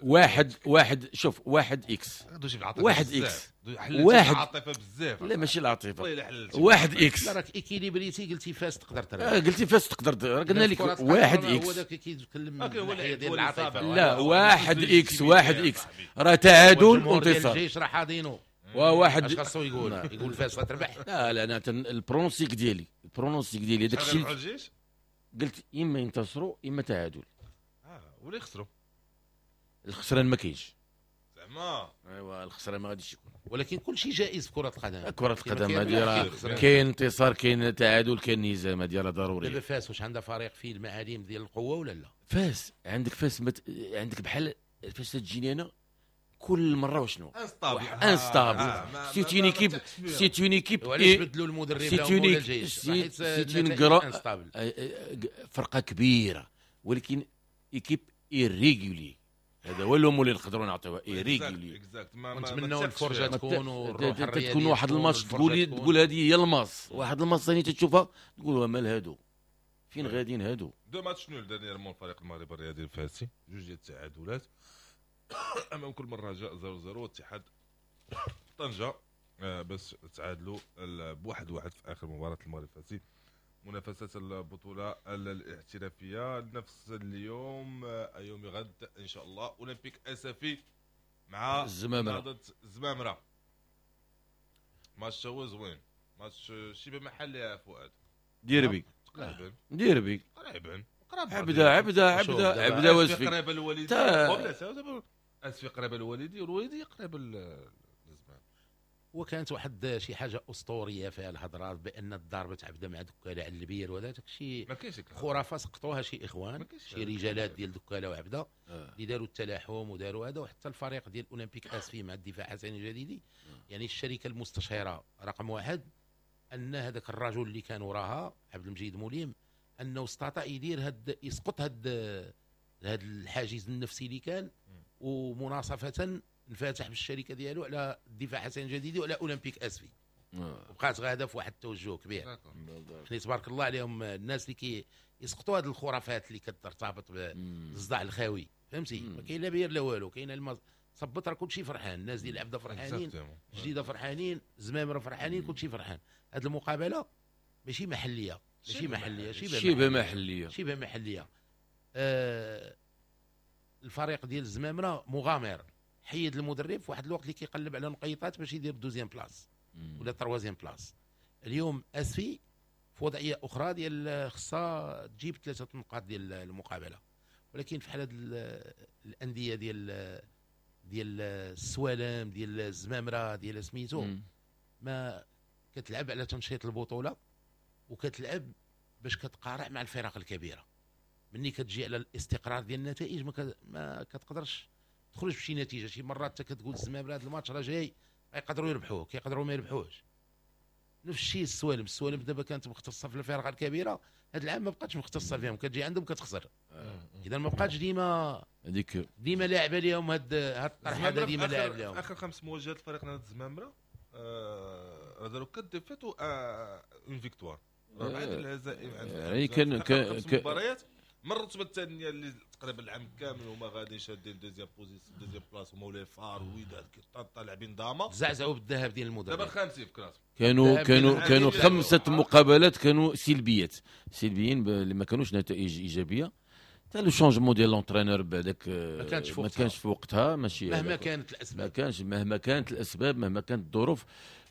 [SPEAKER 4] واحد شوف 1 X 1 X
[SPEAKER 2] واحد العاطفة بزاف.
[SPEAKER 4] لا ماشي العاطفة، 1 X.
[SPEAKER 3] لا راك équilibré تي، قلتي فاس تقدر تربح،
[SPEAKER 4] قلتي فاس تقدر، قلنا لك 1 X.
[SPEAKER 3] هو داك كيتكلم ديال العاطفة.
[SPEAKER 4] لا 1 X 1 X راه تعادل وانتصار.
[SPEAKER 3] الجيش راه حاضينه
[SPEAKER 4] وواحد
[SPEAKER 3] اش خاصو يقول فاس غتربح.
[SPEAKER 4] لا انا ال pronostic ديالي داك الشيء قلت اما ينتصروا اما تعادل
[SPEAKER 2] ولا يخسروا.
[SPEAKER 4] الخسران ما كاينش
[SPEAKER 2] زعما،
[SPEAKER 4] ايوا الخسران ما غاديش يكون،
[SPEAKER 3] ولكن كل شيء جائز في كرة القدم.
[SPEAKER 4] كرة القدم هذه راه كاين انتصار كاين تعادل كاين نظام، هذه راه ضروري.
[SPEAKER 3] دابا فاس واش عندها فريق فيه المعاليم ديال القوة ولا لا؟
[SPEAKER 4] فاس عندك فاس عندك بحال فاش تجيني انا كل مرة وشنو instable c'est une équipe c'est une équipe.
[SPEAKER 3] وعلاش بدلوا المدرب ولا الجيش؟
[SPEAKER 4] c'est une grande فرقه كبيرة ولكن équipe irrégulière، هذا هو اللوم اللي نقدروا نعطيوها irrégulière.
[SPEAKER 3] ونتمناو الفرجة تكون والروح الرياضية
[SPEAKER 4] تكون. واحد الماتش تقول هذه هي الماس، واحد الماتش ثاني تشوفها تقول مال هادو فين غاديين هادو.
[SPEAKER 2] deux matchs nuls dernièrement الفريق المغربي الرياضي الفاسي، جوج ديال التعادلات امام كل مرة رجاء 0-0 واتحاد طنجه بس تعادلوا ب1-1 في اخر مباراة المغرب الفاسي. منافسات البطولة الاحترافية نفس اليوم يوم غد إن شاء الله أولمبيك أسفي مع
[SPEAKER 4] الزمامرة.
[SPEAKER 2] الزمامرة ماتش هو زوين، ماتش شبه محلي يا فؤاد،
[SPEAKER 4] ديربي
[SPEAKER 2] تقريبا
[SPEAKER 4] ديربي
[SPEAKER 2] قريبا
[SPEAKER 4] عبده عبده عبده عبده واسفي
[SPEAKER 2] قريبه الوالدي، اسفي قريبه الوالدي والوالدي قريبه الزمان.
[SPEAKER 3] وكانت واحد شي حاجة اسطورية فيها الهضرات بان الضربة عبده مع دكاله على البير وهذا داك الشيء خرافه سقطوها شي اخوان شي رجالات ديال دكاله وعبده اللي داروا التلاحم وداروا هذا. وحتى الفريق ديال اولمبيك اسفي مع الدفاع حسن الجديدي، يعني الشركة المستشيره رقم واحد، ان هذاك الرجل اللي كان وراها عبد المجيد موليم انه استطاع يدير هاد يسقط هاد الحاجز النفسي اللي كان، ومناصفه انفتح بالشركة ديالو على الدفاع حسن الجديدي وعلى اولمبيك اسفي. وبقات غاده في واحد التوجه كبير. يعني تبارك الله عليهم الناس اللي كي يسقطوا هذه الخرافات اللي كترتبط بالصداع الخاوي، فهمتي؟ ما كاين لا بير لا والو، كاين صبت راه كلشي فرحان، الناس ديال العبده فرحانين، جديدة فرحانين، زمامرة فرحانين، كلشي فرحان. هذه المقابلة ماشي محليه، ماشي محليه،
[SPEAKER 4] شبه محليه،
[SPEAKER 3] شبه محليه. الفريق ديال الزمامره مغامر، حيد المدرب في واحد الوقت اللي كيقلب على نقيطات باش يدير deuxième place ولا troisième place. اليوم اسفي في وضعية اخرى ديال خصها تجيب 3 نقاط ديال المقابلة، ولكن في حال الاندية ديال السوالم ديال الزمامره ديال سميتو ما كتلعب على تنشيط البطولة وكتلعب باش كتقارع مع الفرق الكبيرة. مني كتجي على الاستقرار ديال النتائج ما كتقدرش تخرج بشي نتيجة. شي مرات انت كتقول الزمامره هذا الماتش راه جاي يقدروا يربحوه، كيقدروا ما يربحوهش. نفس الشيء السوالم، السوالم دابا كانت مختصة في الفرق الكبيرة، هذا العام ما بقاتش مختصة فيهم، كتجي عندهم كتخسر. اذا ما بقاتش ديما هذيك ديما لاعبه لهم هاد الطرح هذا، ديما لاعب لهم.
[SPEAKER 2] اخر 5 مواجهات الفريق نادي الزمامره داروا 4 défaites و 1 victoire، 4 الهزائم.
[SPEAKER 4] يعني كان
[SPEAKER 2] مباريات من الرتبة الثانية اللي تقريبا العام كامل هما غاديين شادين deuxième position deuxième place، هما ولا فار وداد كيطاطا لاعبين داما
[SPEAKER 3] زعزعوا بالذهب ديال المدرب.
[SPEAKER 2] دابا الخامسين في classement.
[SPEAKER 4] كانوا 5 مقابلات كانوا سلبيات، سلبيين اللي ما كانوش نتائج ايجابية. حتى le changement ديال l'entraîneur بعداك ما كانش في وقتها، ماشي
[SPEAKER 3] مهما كانت الاسباب،
[SPEAKER 4] ما كانش مهما كانت الاسباب، مهما كانت الظروف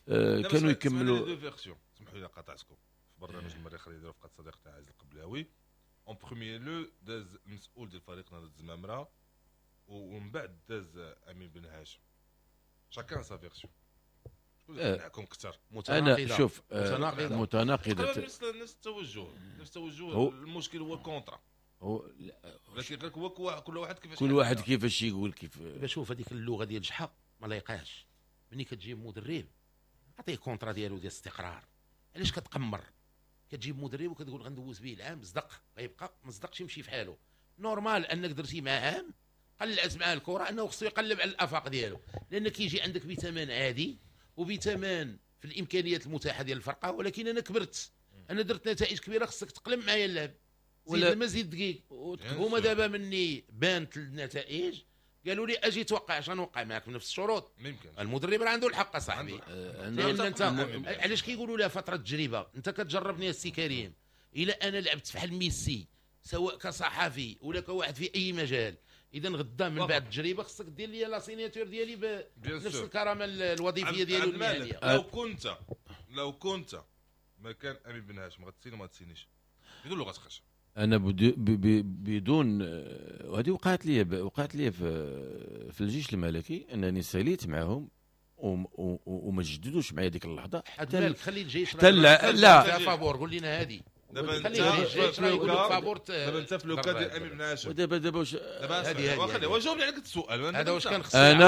[SPEAKER 4] كانوا يكملوا.
[SPEAKER 2] deux versions، سمحوا لي قاطعتكم في برنامج المريخ اللي داروا فقط صديقتنا عزيز القبلاوي. en premier lieu داز المسؤول ديال فريق نادي الزمامره ومن بعد داز امين بن هاشم. chacun sa version. شكون اللي قنعكم اكثر؟
[SPEAKER 4] انا شوف متناقضة،
[SPEAKER 2] نفس التوجه، نفس التوجه. المشكل هو ال contrat، هو ولكن غير هو كل واحد كيفاش،
[SPEAKER 4] كل واحد كيفاش يقول كيف.
[SPEAKER 3] شوف هذيك اللغة ديال جحا ما لايقاش. ملي كتجيب مدرب عطية contrat ديالو ديال الاستقرار. علاش كتقمر؟ كتجيب مدرب وكتقول غندوز به العام، صدق غيبقى، ما صدقش يمشي في حاله. normal انك درتي معاه عام قلعت معاه الكره، انه خصو يقلب على الافاق ديالو، لان كيجي عندك بثمن عادي وبثمن في الامكانيات المتاحة ديال الفرقة. ولكن انا كبرت، انا درت نتائج كبيرة، خصك تقلب معايا اللعب ولا مزيد دقيق. هما دابا مني بانت النتائج قالوا لي اجي توقع عشان نوقع معاك بنفس الشروط. المدرب راه عنده الحق صاحبي، لان انت علاش كيقولوا لها فترة تجربه؟ انت كتجربني السي كريم، الا انا لعبت فحال ميسي سواء كصحفي ولا كواحد في اي مجال، اذا غدا من بعد التجربة خصك دير لي la signature ديالي بنفس الكرامة الوظيفية ديالو المهنية.
[SPEAKER 2] لو كنت مكان امين بن هاشم غتسيني ما تسينيش بدون لغة خشب.
[SPEAKER 4] انا بدون، وهذه وقعت لي في الجيش الملكي، انني ساليت معهم وما جددوش معايا ديك اللحظة.
[SPEAKER 3] حتى خلي الجيش
[SPEAKER 4] حتى لا
[SPEAKER 3] فابور قول لنا هذه
[SPEAKER 2] دابا انت في le cas ديال امين بن هاشم.
[SPEAKER 4] ودابا دابا واش
[SPEAKER 2] هذه واش جاوبني على السؤال
[SPEAKER 3] هذا؟ واش كان خص
[SPEAKER 4] انا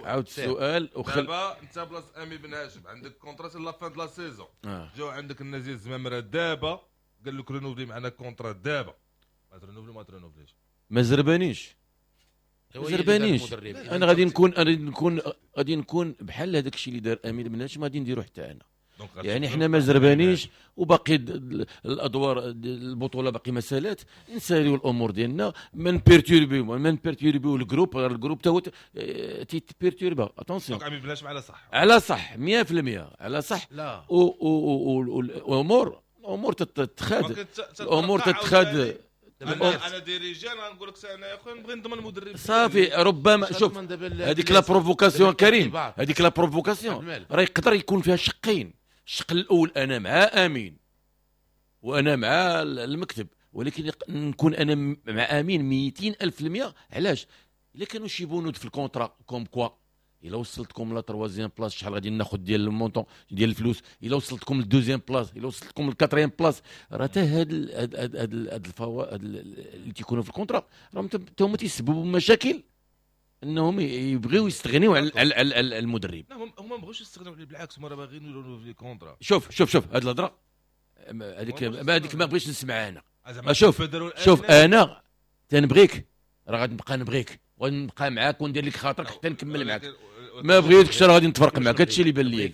[SPEAKER 4] عاود السؤال.
[SPEAKER 2] دابا انت بلاصة امين بن هاشم عندك contrat la fin de la saison، جاو عندك الناس ديال الزمامره دابا قال لك renouveler معنا contrat دابا، ما ت renouveler ما ت renouveler ش.
[SPEAKER 4] ما زربانيش، انا غادي نكون بحال هذاك الشيء اللي دار امين بن هاشم غادي نديرو حتى انا. يعني حنا ما زربانيش وباقي الادوار البطولة باقي مسالات، نساليو الامور ديالنا، ما ن perturber يو ال groupe. ال groupe تا هو تيت perturba. attention
[SPEAKER 2] امين بن هاشم على صح،
[SPEAKER 4] على صح 100% على صح. وامور الامور تتخاد، الامور تتخاد.
[SPEAKER 2] انا dirigeant غنقول لك انا يا خويا نبغي نضمن المدرب
[SPEAKER 4] صافي. ربما شوف هذيك la provocation كريم، هذيك la provocation راه يقدر يكون فيها شقين. الشق الاول انا مع امين وانا مع المكتب، ولكن نكون انا مع امين 200,000%. علاش؟ الا كانوا شي بنود في ال contrat comme quoi الا وصلتكم la troisième place شحال غادي ناخذ ديال ال montant ديال الفلوس، الا وصلتكم لل deuxième place، الا وصلتكم لل quatrième place، راه حتى هاد هاد هاد الفوائد اللي تيكونوا في ال contrat راهم حتى هما تيسببوا مشاكل انهم يبغيو يستغنيو على المدرب.
[SPEAKER 2] لا هما ما بغاوش يستغنيو عليه، بالعكس هما راه باغيين يرونوفلي contrat.
[SPEAKER 4] شوف شوف شوف هاد الهضرة هذيك ما بغيتش نسمعها انا. شوف شوف انا تنبغيك، راه غادي نبقى نبغيك ونبقى معاك وندير لك خاطرك حتى نكمل معاك. ما بغيتكش راه غادي نتفرق معاك. هادشي اللي بان لي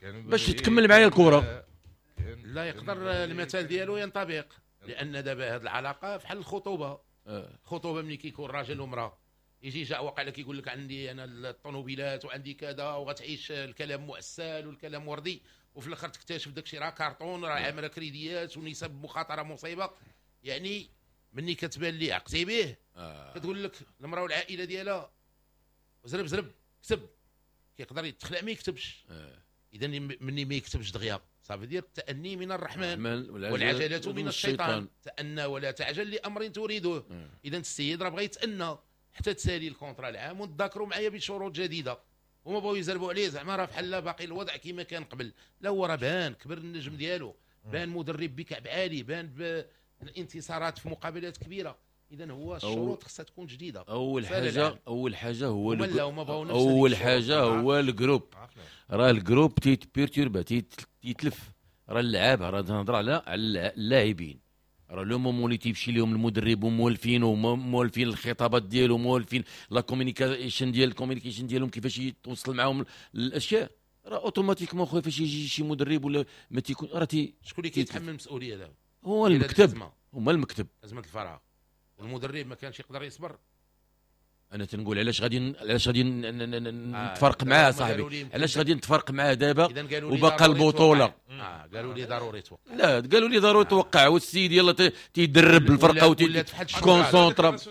[SPEAKER 4] باش تكمل معايا الكره.
[SPEAKER 3] لا يقدر المثال ديالو ينطبق، لان دابا هاد العلاقة فحال الخطوبة. الخطوبة ملي كيكون راجل ومراة يجي جا وقع لك يقول لك عندي انا الطوموبيلات وعندي كذا وغتعيش الكلام مؤسل والكلام وردي، وفي الاخر تكتشف داكشي راه كارطون، راه عامله كريديات ونسب مخاطره مصيبة. يعني مني كتبان لي عقتي به كتقول لك المراة والعائلة ديالها زرب زرب كتب، كيقدر يتخلع ما يكتبش. اذا مني ما يكتبش دغيا صافي دير التأني من الرحمن والعجلة من الشيطان، تأنى ولا تعجل لأمر تريده. اذا السيد راه بغى يتأنى حتى تسالي ال contrat العام وتذاكروا معايا بشروط جديدة، هما بغاو يزربوا عليه زعما راه بحال باقي الوضع كما كان قبل. لا هو راه بان كبر النجم ديالو، بان مدرب بكعب عالي، بان بالانتصارات في مقابلات كبيرة. اذا هو الشروط خصها تكون جديدة.
[SPEAKER 4] اول حاجة هو اول حاجة هو ال groupe، راه ال groupe تيت perturba تيتلف، راه اللعابه، راه نهضر على اللاعبين، راه le moment اللي تيمشي لهم المدرب ومولفين ومولفين الخطابات ديالو، مولفين la communication ديال ال communication ديالهم كيفاش يتوصل معاهم الاشياء، راه automatiquement خويا فاش يجي شي مدرب ولا ما تيكون راه
[SPEAKER 3] شكون اللي كيتحمل المسؤولية دابا؟
[SPEAKER 4] هو المكتب، هما المكتب.
[SPEAKER 3] ازمة الفراغ والمدرب ما كانش يقدر يصبر.
[SPEAKER 4] انا تنقول علاش غادي نتفرق معاه صاحبي، علاش غادي نتفرق معاه دابا وباقا البطولة.
[SPEAKER 3] قالوا لي ضروري توقع.
[SPEAKER 4] لا قالوا لي ضروري توقع، والسيد يلا تيدرب الفرقة وتي concentra.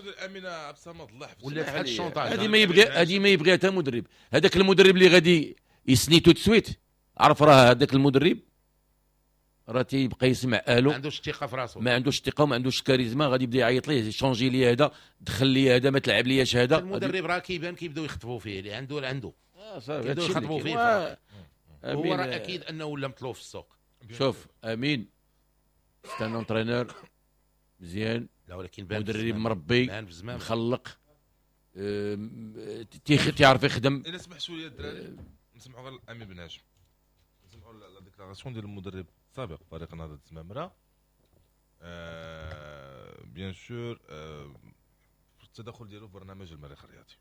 [SPEAKER 3] ولا بحال ال chantage.
[SPEAKER 4] هذه ما يبغيها حتى مدرب. هذاك المدرب اللي غادي يسني tout de suite، عرف راه هذاك المدرب راه تيبقى يسمع الو،
[SPEAKER 3] ما عندوش الثقة في راسو،
[SPEAKER 4] ما عندوش الثقة وما عندوش الكاريزما، غادي يبدا يعيط ليه changer لي هذا، دخل لي هذا، ما تلعب لياش هذا.
[SPEAKER 3] المدرب راه كيبان كيبداو يخطبوا فيه اللي عنده اللي عنده
[SPEAKER 4] صافي
[SPEAKER 3] كيبداو يخطبوا فيه. هو راه اكيد انه ولا مطلوب في السوق.
[SPEAKER 4] شوف امين c'est un entraîneur مزيان،
[SPEAKER 3] لا ولكن بان
[SPEAKER 4] مدرب مربي مخلق، تيعرف يخدم.
[SPEAKER 2] الا سمحتوا لي الدراري نسمعوا غير امين بن هاشم، نسمعوا la déclaration ديال المدرب سابق فريق نهضة الزمامرة، bien sûr التدخل ديالو في برنامج المريخ الرياضي.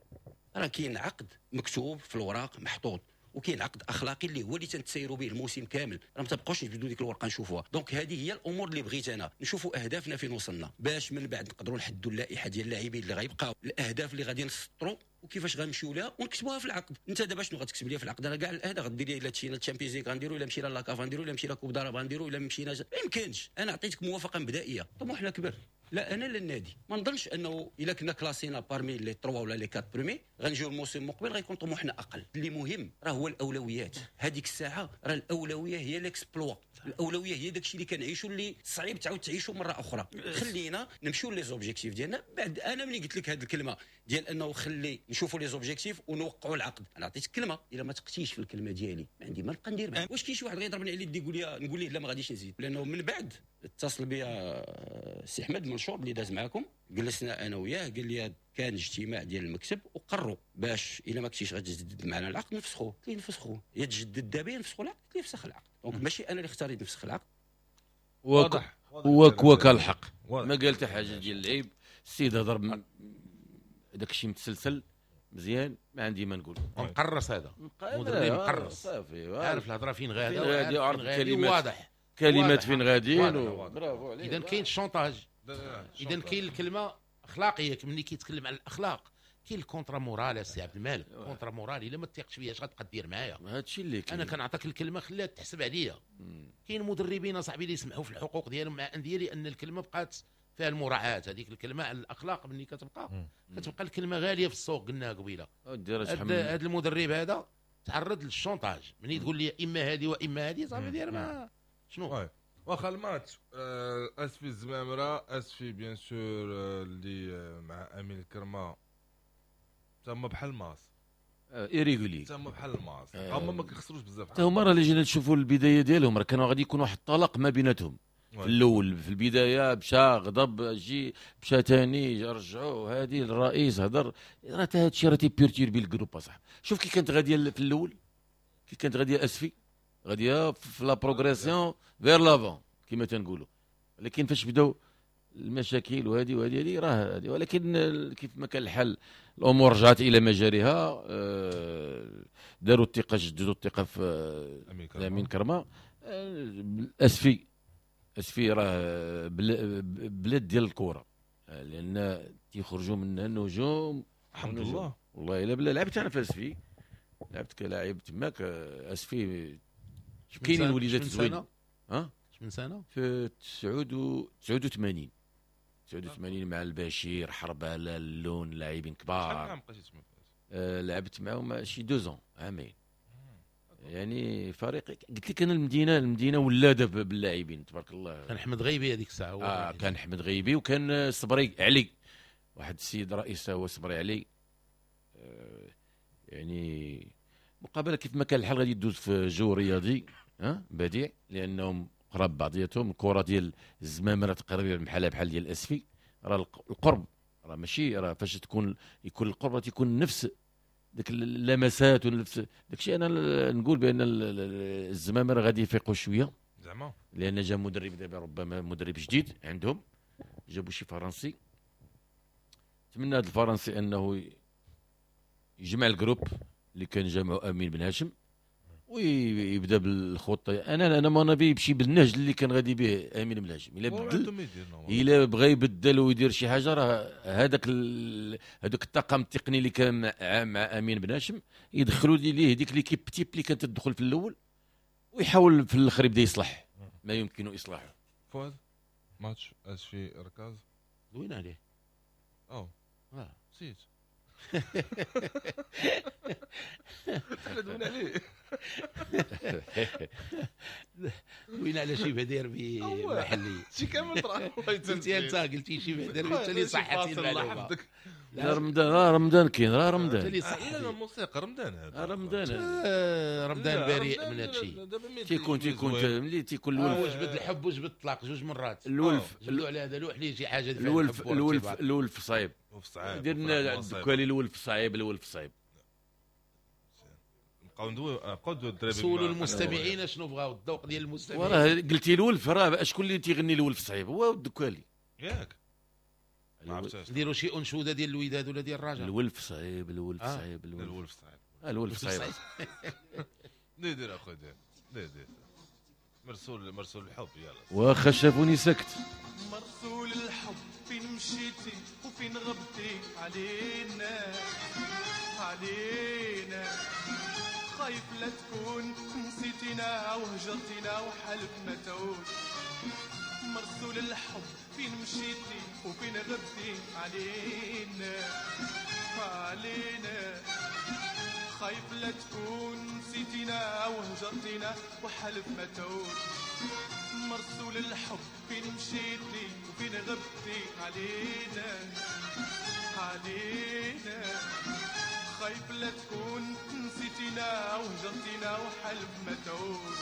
[SPEAKER 10] راه كاين عقد مكتوب في الوراق محطوط، وكاين عقد اخلاقي اللي هو اللي تنتسيروا به الموسم كامل، راه ما تبقاوش نجبدوا ديك الورقة نشوفوها. donc هذه هي الامور اللي بغيت انا نشوفوا اهدافنا فين وصلنا، باش من بعد نقدروا نحدوا اللائحة ديال اللاعبين اللي غيبقاو، الاهداف اللي غادي نسطروا وكيفاش غنمشيو لها ونكتبوها في العقد. انت دابا شنو غتكتب لي في العقد؟ راه كاع الاهداف غدير لي الا مشينا ال Champions League غنديروا، الا مشينا la CAF غنديروا، الا مشينا Coupe d'Arabe غنديروا، الا مشينا ما يمكنش. انا عطيتك موافقة مبدئية، طموحنا كبر، لا انا لا النادي. ما نظنش انه الا كنا classés parmi les 3 ولا les 4 premiers غنجيو الموسم المقبل غيكون طموحنا اقل. اللي مهم راه هو الاولويات. هذيك الساعة راه الاولوية هي l'exploit، الاولوية هي داكشي اللي كنعيشوا اللي صعيب تعاود تعيشوا مرة اخرى. خلينا نمشيو les objectifs ديالنا. بعد انا ملي قلت لك هذه الكلمة ديال انه خلي نشوفوا les objectifs ونوقعوا العقد، انا عطيتك كلمة، الا ما تقتيش في الكلمة ديالي ما عندي ما نبقى ندير معاك. واش كاين شي واحد غيضربني على يدي يقول لي نقول ليه لا ما غاديش نزيد؟ لانه من بعد اتصل بيا السي احمد منشور اللي داز معاكم، جلسنا انا وياه، قال لي كان اجتماع ديال المكتب وقرروا باش الا ما كنتيش غتجدد معنا العقد نفسخوه. قلت ليه نفسخوه؟ يا تجدد دابا نفسخوا العقد. قلت ليه فسخ العقد. donc ماشي انا اللي اختاريت نفسخ العقد.
[SPEAKER 4] واضح هو الحق، ما قال حتى حاجة ديال العيب. السيد هضر داك الشيء متسلسل مزيان، ما عندي ما نقول.
[SPEAKER 3] مقرص هذا مدرب مقرص
[SPEAKER 4] صافي،
[SPEAKER 3] عارف الهضرة فين غاده، عارف الكلمات، واضح
[SPEAKER 4] كلمات فين غاديين. برافو عليك.
[SPEAKER 3] اذا كاين ال chantage، اذا كاين الكلمة اخلاقية. ملي كيتكلم على الاخلاق كاين ال contrat moral. السي عبد المالك contrat moral، الا ما تثقش فيا اش غتبقى دير معايا؟
[SPEAKER 4] هادشي اللي كاين.
[SPEAKER 3] انا كنعطيك الكلمة خليها تحسب عليا. كاين مدربين اصاحبي اللي يسمحوا في الحقوق ديالهم مع اندية لان الكلمة بقات فيها المراعاه، هذيك الكلمة على الاخلاق ملي كتبقى الكلمة غالية في السوق. قلناها قبيلة، هذا المدرب هذا تعرض لل chantage. ملي تقول لي اما هذه واما هذه صافي دير ما شنو.
[SPEAKER 2] واخا الماتش اسفي الزمامره، اسفي bien sûr اللي مع امين الكرمة تما بحال ماس
[SPEAKER 4] irrégulier،
[SPEAKER 2] تما بحال الماس، هما ما كيخسروش بزاف.
[SPEAKER 4] حتى هما راه اللي جينا نشوفوا البداية ديالهم راه كانوا غادي يكون واحد الطلاق ما بيناتهم في الاول. في البداية مشى غضب، جي مشى ثاني رجعوه، هذه الرئيس هضر، راه حتى هذا الشيء راه تي perturber ال groupe اصاحبي. شوف كي كانت غادية في الاول، كي كانت غادية اسفي غادية في la progression vers l'avant كما تنقولوا، لكن فاش بداو المشاكل وهذه وهذه هذه راه هذه. ولكن كيف ما كان الحال الامور رجعت الى مجاريها. داروا الثقة، جددوا الثقة في امين كرمه. اسفي راه بلاد ديال الكره، لان تيخرجوا منها النجوم
[SPEAKER 2] الحمد لله.
[SPEAKER 4] والله الا بلا لعبت انا في اسفي، لعبت كلاعب تماك. اسفي كاينين وليدات زوين. ها
[SPEAKER 3] من سنة
[SPEAKER 4] في 89 مع البشير حرباله اللون، لاعبين كبار.
[SPEAKER 2] شحال عام بقيتي تما؟
[SPEAKER 4] لعبت معاهم شي 2 ans، عامين. يعني فريق قلت لك انا المدينة ولاده باللاعبين تبارك الله.
[SPEAKER 3] كان احمد غيبي هذيك الساعة.
[SPEAKER 4] كان احمد غيبي وكان صبري علي، واحد السيد رئيس هو صبري علي. يعني مقابله كيف ما كان الحال غادي تدوز في جو رياضي بديع، لانهم قراب بعضياتهم. الكره ديال الزمامره تقريبا بحالها بحال ديال الاسفي، راه القرب راه ماشي، راه فاش تكون يكون القرب تيكون نفس ديك اللمسات ونفس داكشي. انا نقول بان الزمامره غادي يفيقوا شوية
[SPEAKER 2] زعما،
[SPEAKER 4] لان جا مدرب دابا، ربما مدرب جديد عندهم، جابوا شي فرنسي. نتمنى هذا الفرنسي انه يجمع ال groupe اللي كان جامعه امين بن هاشم ويبدا بالخطة. انا ما نبي يمشي بالنهج اللي كان غادي به امين بن هاشم. الا بدل، الا بغى يبدل ويدير شي حاجة، راه هذاك الطاقم التقني اللي كان مع امين بن هاشم يدخلوا ليه ديك l'équipe type اللي كانت تدخل في الاول، ويحاول في الاخر يبدا يصلح ما يمكن اصلاحه.
[SPEAKER 2] فؤاد ماتش اسفي ركاز
[SPEAKER 3] دوينا عليه.
[SPEAKER 2] نسيت حنا دوينا عليه،
[SPEAKER 3] دوينا على شبه ديربي محلي
[SPEAKER 2] شي كامل طرا.
[SPEAKER 3] قلتي انت، قلتي شبه ديربي، انت اللي صحتي المعلومة.
[SPEAKER 4] لا رمضان، راه رمضان كاين، راه رمضان.
[SPEAKER 2] لا الموسيقى رمضان هذا،
[SPEAKER 4] رمضان
[SPEAKER 3] رمضان بريء من هذا الشيء.
[SPEAKER 4] تيكون ملي تيكون الولف
[SPEAKER 3] وجبد الحب وجبد الطلاق جوج مرات.
[SPEAKER 4] الولف
[SPEAKER 3] جبدوا على هذا لوح ليه شي حاجة.
[SPEAKER 4] الولف الولف الولف صعيب، درنا الدكالي الولف صعيب، الولف صعيب.
[SPEAKER 2] نبقاو ندويو، نبقاو ندويو الدراري.
[SPEAKER 3] سولوا المستمعين شنو بغاو، الذوق ديال المستمعين.
[SPEAKER 4] وراه قلتي الولف، راه شكون اللي تيغني الولف صعيب؟ هو الدكالي
[SPEAKER 2] ياك.
[SPEAKER 3] نديروا شي انشودة ديال الوداد ولا ديال الرجاء.
[SPEAKER 4] الولف صعيب، الولف صعيب،
[SPEAKER 2] الولف صعيب،
[SPEAKER 4] الولف صعيب.
[SPEAKER 2] ندير اخويا، دير مرسول الحب. يلا
[SPEAKER 4] واخا شافوني سكت.
[SPEAKER 8] مرسول الحب فين مشيتي وفين غبتي علينا علينا، خايف لا تكون نسيتينا وهجرتينا وحلف ما تعود. مرسول الحب فين مشيتي وفين غبتي علينا علينا، خايف لا تكون نسيتينا وهجرتينا وحلف ما تعود. مرسول الحب فين مشيتي وفين غبتي علينا علينا، خايف لا تكون نسيتينا وهجرتينا وحلف ما تعود.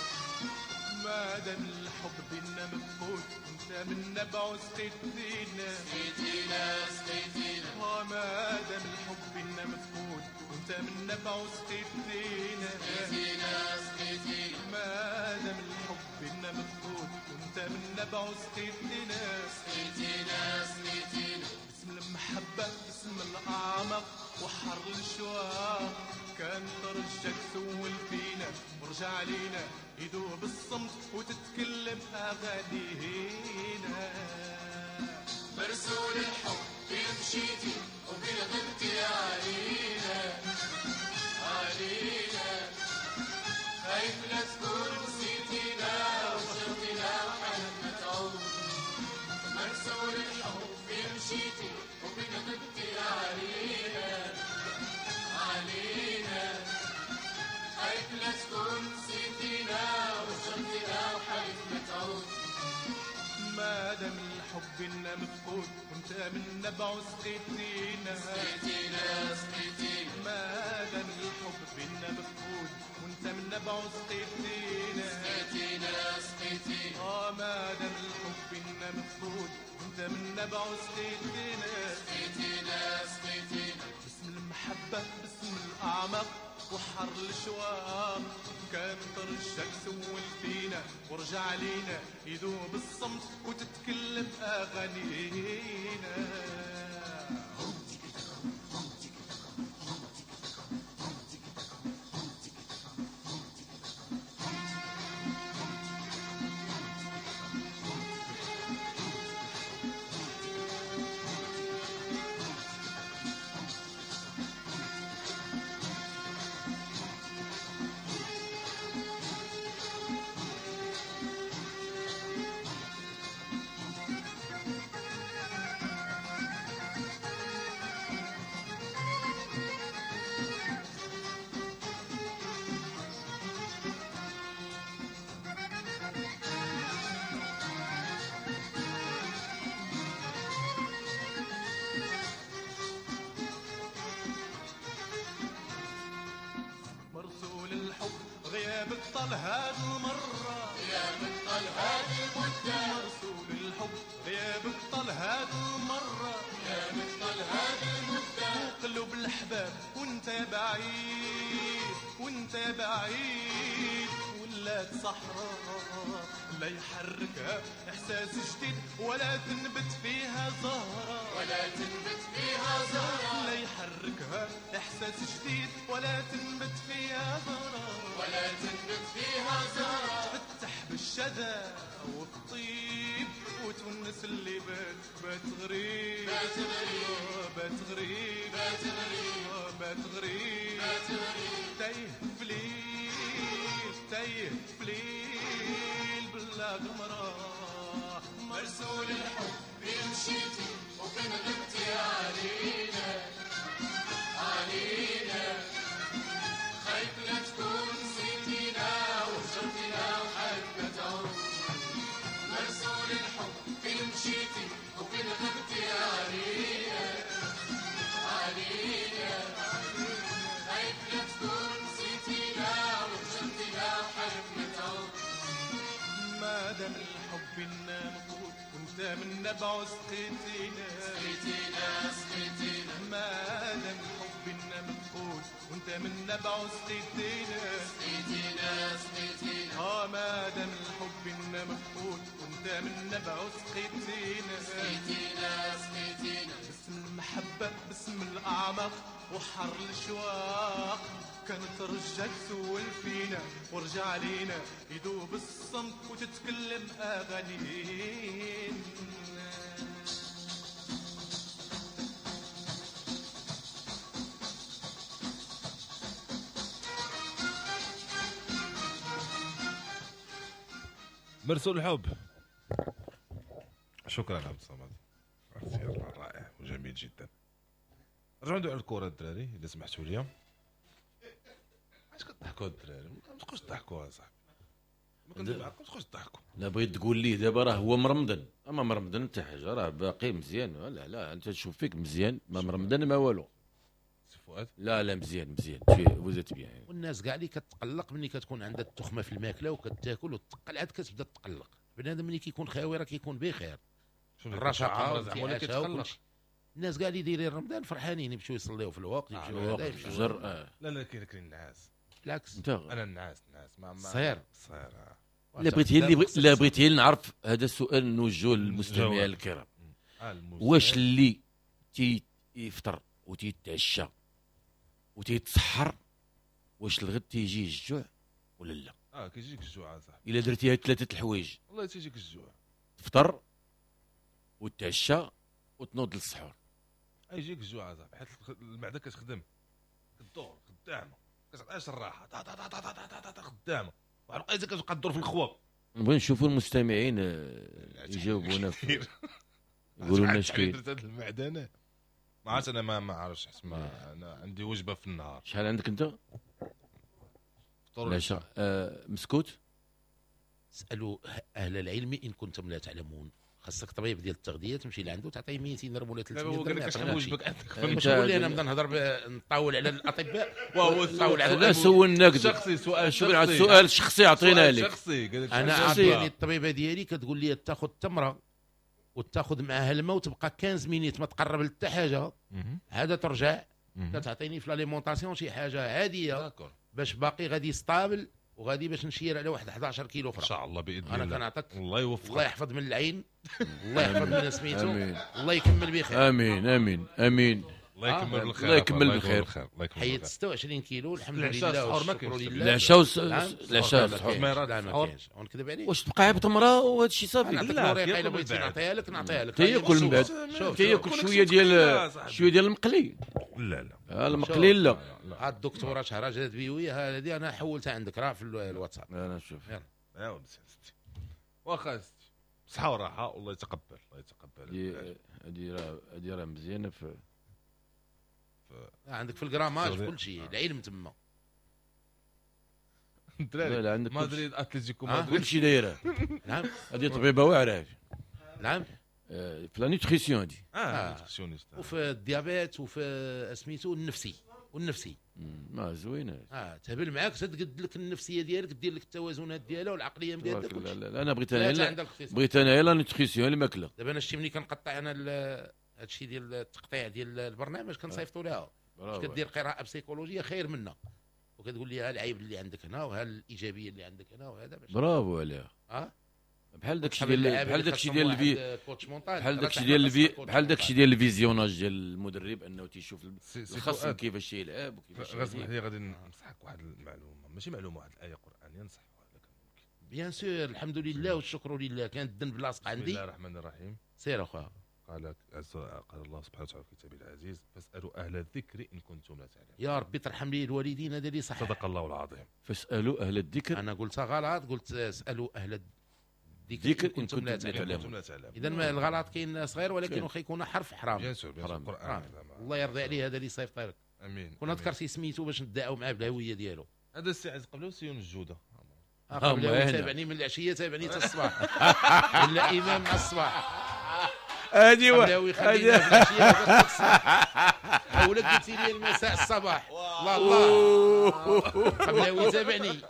[SPEAKER 8] ما دام الحب بينا مفقود انت من نبع سقيتينا سقيتينا سقيتينا. ما دام الحب بينا مفقود انت من نبع سقيتينا سقيتينا سقيتينا. ما دام الحب بينا مفقود انت من نبع سقيتينا سقيتينا سقيتينا. باسم المحبة باسم الأعمق وحر الشواق كان ترجك سول فينا ورجع علينا يدوب الصمت وتتكلم أغانينا.
[SPEAKER 9] مرسول الحب فين مشيتي وفين غبتي علينا علينا، خايف لا تكون نسيتينا وهجرتينا وحالتنا تعود. مرسول الحب فين مشيتي وفين غبتي علينا علينا، خايف لا تكون نسيتينا وهجرتينا وحالتنا تعود.
[SPEAKER 8] ما دام الحب بينا مفقود وانت من نبع سقيتينا
[SPEAKER 9] سقيتينا سقيتينا.
[SPEAKER 8] ما دام الحب بينا مفقود وانت من نبع سقيتينا
[SPEAKER 9] سقيتينا سقيتينا.
[SPEAKER 8] ما دام الحب بينا مفقود وانت من نبع سقيتينا
[SPEAKER 9] سقيتينا سقيتينا.
[SPEAKER 8] باسم المحبة باسم الأعمق وحر الشواق كان ترجك سول فينا ورجع علينا يدوب الصمت وتتكلم أغانينا. طال هاد المرة، غيابك طال هاد المدة، مرسول الحب غيابك طال هاد المرة، غيابك طال هاد المدة، قلوب الأحباب وانت بعيد، وانت بعيد، ولات صحراء لا يحركها احساس جديد، ولا تنبت فيها زهرة، ولا تنبت فيها زهرة، لا يحركها احساس جديد، ولا تنبت فيها زهرة، ولا تنبت فيها زهرة، تفتح بالشذا والطيب وتونس اللي بات بات غريب، بات غريب، بات غريب، بات غريب، بات غريب، بات غريب، تايه في ليل، تايه في ليل بلا قمرة، مرسول الحب مشيتي وفين غبتي علينا، علينا، خايف لا تكون نسيتينا وهجرتينا وحالنا تعود، مرسول الحب فين مشيتي وفين غبتي علينا، علينا، خايف لا تكون نسيتينا وهجرتينا وحالنا تعود، ما دام الحب مفقود وانت من نبعه سقيتينا، سقيتينا، سقيتينا، ما دام الحب مفقود وانت من نبعه سقيتينا، سقيتينا، سقيتينا، ما دام الحب مفقود وانت من نبعه سقيتينا، سقيتينا، سقيتينا، باسم المحبة باسم الأعماق وحر الأشواق، كانت رجع تسول فينا ورجع علينا يدوب الصمت وتتكلم أغانينا.
[SPEAKER 2] مرسول الحب. شكرا عبد الصمد، اختيار رائع وجميل جدا. رجعوا ندوي على الكره الدراري اذا سمحتوا لي. علاش كتضحكوا الدراري؟ ما تبقاوش تضحكوا اصاحبي، ما تبقاوش تضحكوا.
[SPEAKER 4] لا بغيت تقول لي دابا راه هو مرمضن، اما مرمضن حتى حاجة راه باقي مزيان. لا لا انت تشوف فيك مزيان، ما مرمضن ما والو.
[SPEAKER 2] سي فؤاد
[SPEAKER 4] لا لا مزيان مزيان vous êtes bien.
[SPEAKER 3] والناس كاع اللي كتقلق ملي كتكون عندها التخمة في الماكلة وكتاكل وتقل عاد كتبدا تقلق. بنادم ملي كيكون خاوي راه كيكون بخير، الرشاقه زعما ولا كيتقلق. الناس كاع اللي دايرين رمضان فرحانين يمشيو يصليو في الوقت، يمشيو هذا يمشيو.
[SPEAKER 2] لا لا كاين النعاس.
[SPEAKER 3] بالعكس
[SPEAKER 2] انا النعاس نعاس ما
[SPEAKER 3] صغير
[SPEAKER 2] صغير.
[SPEAKER 4] لا بغيت لا بغيت نعرف هذا السؤال نوجهه للمستمعين الكرام. واش اللي تيفطر وتيتعشى وتيتسحر واش الغد تيجي الجوع ولا لا؟
[SPEAKER 2] كيجيك الجوع اصاحبي
[SPEAKER 4] الا درتي هاد ثلاثة الحوايج.
[SPEAKER 2] والله تيجيك الجوع،
[SPEAKER 4] تفطر وتعشى وتنوض للسحور،
[SPEAKER 2] يجيك الجوع اصاحبي، حيت المعدة كتخدم كدور خدامه، كتعطيهاش الراحة، تا تا تا تا تا تا خدامه، واحد الوقيته كتبقى تدور في الخوا.
[SPEAKER 4] نبغي نشوفوا المستمعين يجاوبونا يقولوا لنا اش كاين.
[SPEAKER 2] درت هاد المعدة انا ما عرفت، انا ما عرفتش، حيت ما انا عندي وجبة في النهار.
[SPEAKER 4] شحال عندك انت؟ العشاء مسكوت.
[SPEAKER 3] اسالوا اهل العلم ان كنتم لا تعلمون. خاصك طبيب ديال التغذية تمشي لعنده تعطيه 200 درهم ولا 300 درهم.
[SPEAKER 2] شحال وجبك عندك؟
[SPEAKER 3] مش لي انا نبدا نهضر نطاول على الاطباء
[SPEAKER 2] وهو
[SPEAKER 3] نطاول على
[SPEAKER 4] لا سولناك
[SPEAKER 2] شخصي سؤال
[SPEAKER 4] شخصي، سؤال شخصي عطينا لك
[SPEAKER 2] شخصي.
[SPEAKER 3] انا عطيني الطبيبة ديالي كتقول لي تاخذ تمره وتاخذ معها الماء وتبقى 15 minutes ما تقرب لحتى حاجة. هذا ترجع كتعطيني في l'alimentation شي حاجة عادية باش باقي غادي stable وغادي باش نشير على واحد 11 كيلو اخرى
[SPEAKER 2] ان شاء الله باذن الله.
[SPEAKER 3] انا كنعطيك
[SPEAKER 2] الله يوفقك،
[SPEAKER 3] الله يحفظ من العين، الله يحفظ من سميتو، الله يكمل بخير.
[SPEAKER 4] امين امين امين.
[SPEAKER 2] الله يكمل بالخير،
[SPEAKER 4] الله يكمل بالخير.
[SPEAKER 3] حيت 26 كيلو الحمد لله والشكر لله.
[SPEAKER 4] العشاء العشاء السحور
[SPEAKER 3] لا ما كاينش، ونكذب عليك
[SPEAKER 4] واش تبقى عيب تمره وهذا الشيء صافي؟
[SPEAKER 3] لا الا بغيتي نعطيها لك نعطيها لك.
[SPEAKER 4] تياكل من بعد تياكل شوية ديال شوية ديال المقلي.
[SPEAKER 2] لا لا
[SPEAKER 4] المقلي لا.
[SPEAKER 3] هاد الدكتورة شهرزاد بيوي هذه انا حولتها عندك راه في الواتساب.
[SPEAKER 4] انا نشوف
[SPEAKER 2] يلا ايوا مزيان ستي واخا ستي بصحة وراحة والله يتقبل الله يتقبل.
[SPEAKER 4] هذه راه مزيانه في
[SPEAKER 3] عندك في ال grammage كل شيء العلم تما.
[SPEAKER 2] الدراري مدريد اتلتيكو مدريد
[SPEAKER 4] كل شيء دايرة.
[SPEAKER 3] نعم
[SPEAKER 4] هذه طبيبه واعرة.
[SPEAKER 3] نعم
[SPEAKER 4] في la nutrition هذه
[SPEAKER 2] nutritionniste
[SPEAKER 3] وفي ال diabète وفي سميتو النفسي والنفسي.
[SPEAKER 4] ما زوينة.
[SPEAKER 3] تهبل معاك، تقد لك النفسية ديالك، دير لك التوازنات ديالها والعقلية ديالها.
[SPEAKER 4] لا انا بغيت انا بغيت انا la nutrition الماكلة.
[SPEAKER 3] دابا انا شتي ملي كنقطع انا هادشي ديال التقطيع ديال البرنامج كنصيفطو لها، كدير قراءة بسيكولوجيه خير منا، وكتقول لي ها العيب اللي عندك هنا وها الايجابية اللي عندك هنا وهذا.
[SPEAKER 4] برافو عليها. بحال داكشي ديال بحال داكشي ديال بحال داكشي ديال بحال داكشي ديال ال visionnage ديال المدرب، انه تيشوف الخصم كيفاش يلعب وكيفاش.
[SPEAKER 2] اسمح لي غادي نصحك واحد المعلومة، ماشي معلومة، واحد الايه قرانية نصحوها لك
[SPEAKER 3] ممكن. bien sûr، الحمد لله والشكر لله، كانت الذنب لاصق عندي.
[SPEAKER 2] بسم الله الرحمن الرحيم.
[SPEAKER 3] سير اخويا.
[SPEAKER 2] قال الله سبحانه وتعالى في كتابه العزيز: فاسالوا اهل الذكر ان كنتم لا تعلمون.
[SPEAKER 3] يا ربي ترحم لي الوالدين، هذا اللي صح.
[SPEAKER 2] صدق الله العظيم.
[SPEAKER 4] فاسالوا اهل الذكر.
[SPEAKER 3] انا قلت غلط، قلت اسالوا اهل الذكر إن كنتم لا تعلمون. اذا الغلط كاين صغير، ولكن واخا يكون حرف حرام.
[SPEAKER 2] bien sûr، القران.
[SPEAKER 3] الله يرضي عليه هذا اللي صيفط لك.
[SPEAKER 2] امين.
[SPEAKER 3] كون ذكرتي سميتو باش ندعوا معاه بالهوية ديالو.
[SPEAKER 2] هذا السي عز قبله سيون الجودة.
[SPEAKER 3] قبله تابعني من العشية، تابعني حتى الصباح. ولا امام مع الصباح.
[SPEAKER 4] هادي
[SPEAKER 3] قبلاوي خلينا في العشية ولا قلتي لي المساء الصباح. الله الله، قبلاوي تابعني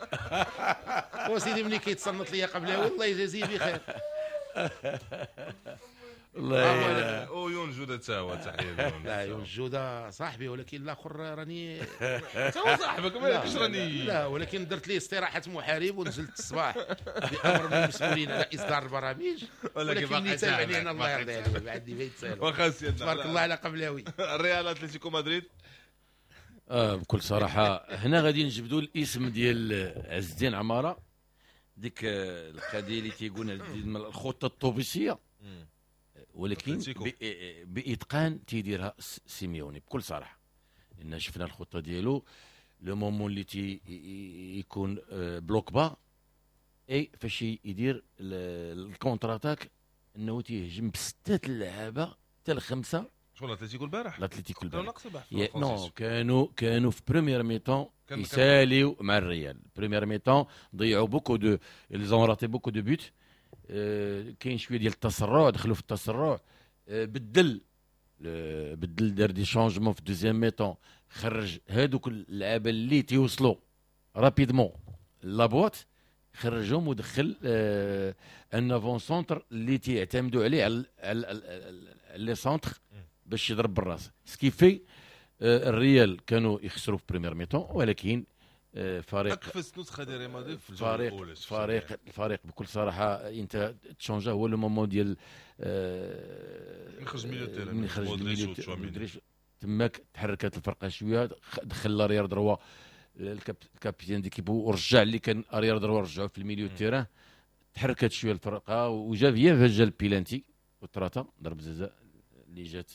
[SPEAKER 3] وسيدي ملي كيتصنت ليا قبلاوي الله يجازيه بخير.
[SPEAKER 4] الله.
[SPEAKER 2] ويون جوده تا هو، تحية.
[SPEAKER 3] لا يون جوده صاحبي، ولكن الاخر راني
[SPEAKER 2] تا هو صاحبك مالكش راني.
[SPEAKER 3] لا ولكن درت ليه استراحة محارب ونزلت الصباح بامر من المسؤولين على اصدار البرامج، ولكن اللي تابعني انا الله يرضي عليه ما عندي ما يتسالوا.
[SPEAKER 2] واخا سيدنا،
[SPEAKER 3] تبارك الله على قبلاوي.
[SPEAKER 2] الريال اتلتيكو مدريد.
[SPEAKER 4] بكل صراحة هنا غادي نجبدوا الاسم ديال عز الدين عمارة، ديك القضية اللي تيقول الخطة الطوبيسيه، ولكن باتقان تيديرها سيميوني بكل صراحة. لان شفنا الخطة ديالو le moment اللي تي يكون bloc bas، اي فاش يدير ال contre-attaque انه تيهجم بسته اللعابه حتى الخمسة.
[SPEAKER 2] شكون الاتليتيكو البارح؟
[SPEAKER 4] الاتليتيكو البارح non، كانوا في première mi-temps يساليو مع الريال. première mi-temps ضيعوا beaucoup de ils ont raté beaucoup de buts. كاين شوية ديال التسرع، دخلوا في التسرع. بدل دار des changements في deuxième mi-temps، خرج هادوك اللعابه اللي تيوصلوا rapidement la boîte، خرجهم ودخل un avant-centre اللي تيعتمدوا عليه على les centres باش يضرب بالراس. ce qui fait الريال كانوا يخسروا في première mi-temps، ولكن فريق
[SPEAKER 2] اكفس نسخه ديال ريال مدريد في الجولة الاولى.
[SPEAKER 4] الفريق بكل صراحة انت تشونجا هو le moment ديال
[SPEAKER 2] من خرج milieu terrain،
[SPEAKER 4] من خرج milieu تماك تحركت الفرقة شوية، دخل l'arrière droit ال capitaine d'équipe ورجع اللي كان arrière droit رجعو في ال milieu terrain، تحركت شوية الفرقة وجا فيا جا البيلانتي وتراتا ضرب جزاء اللي جات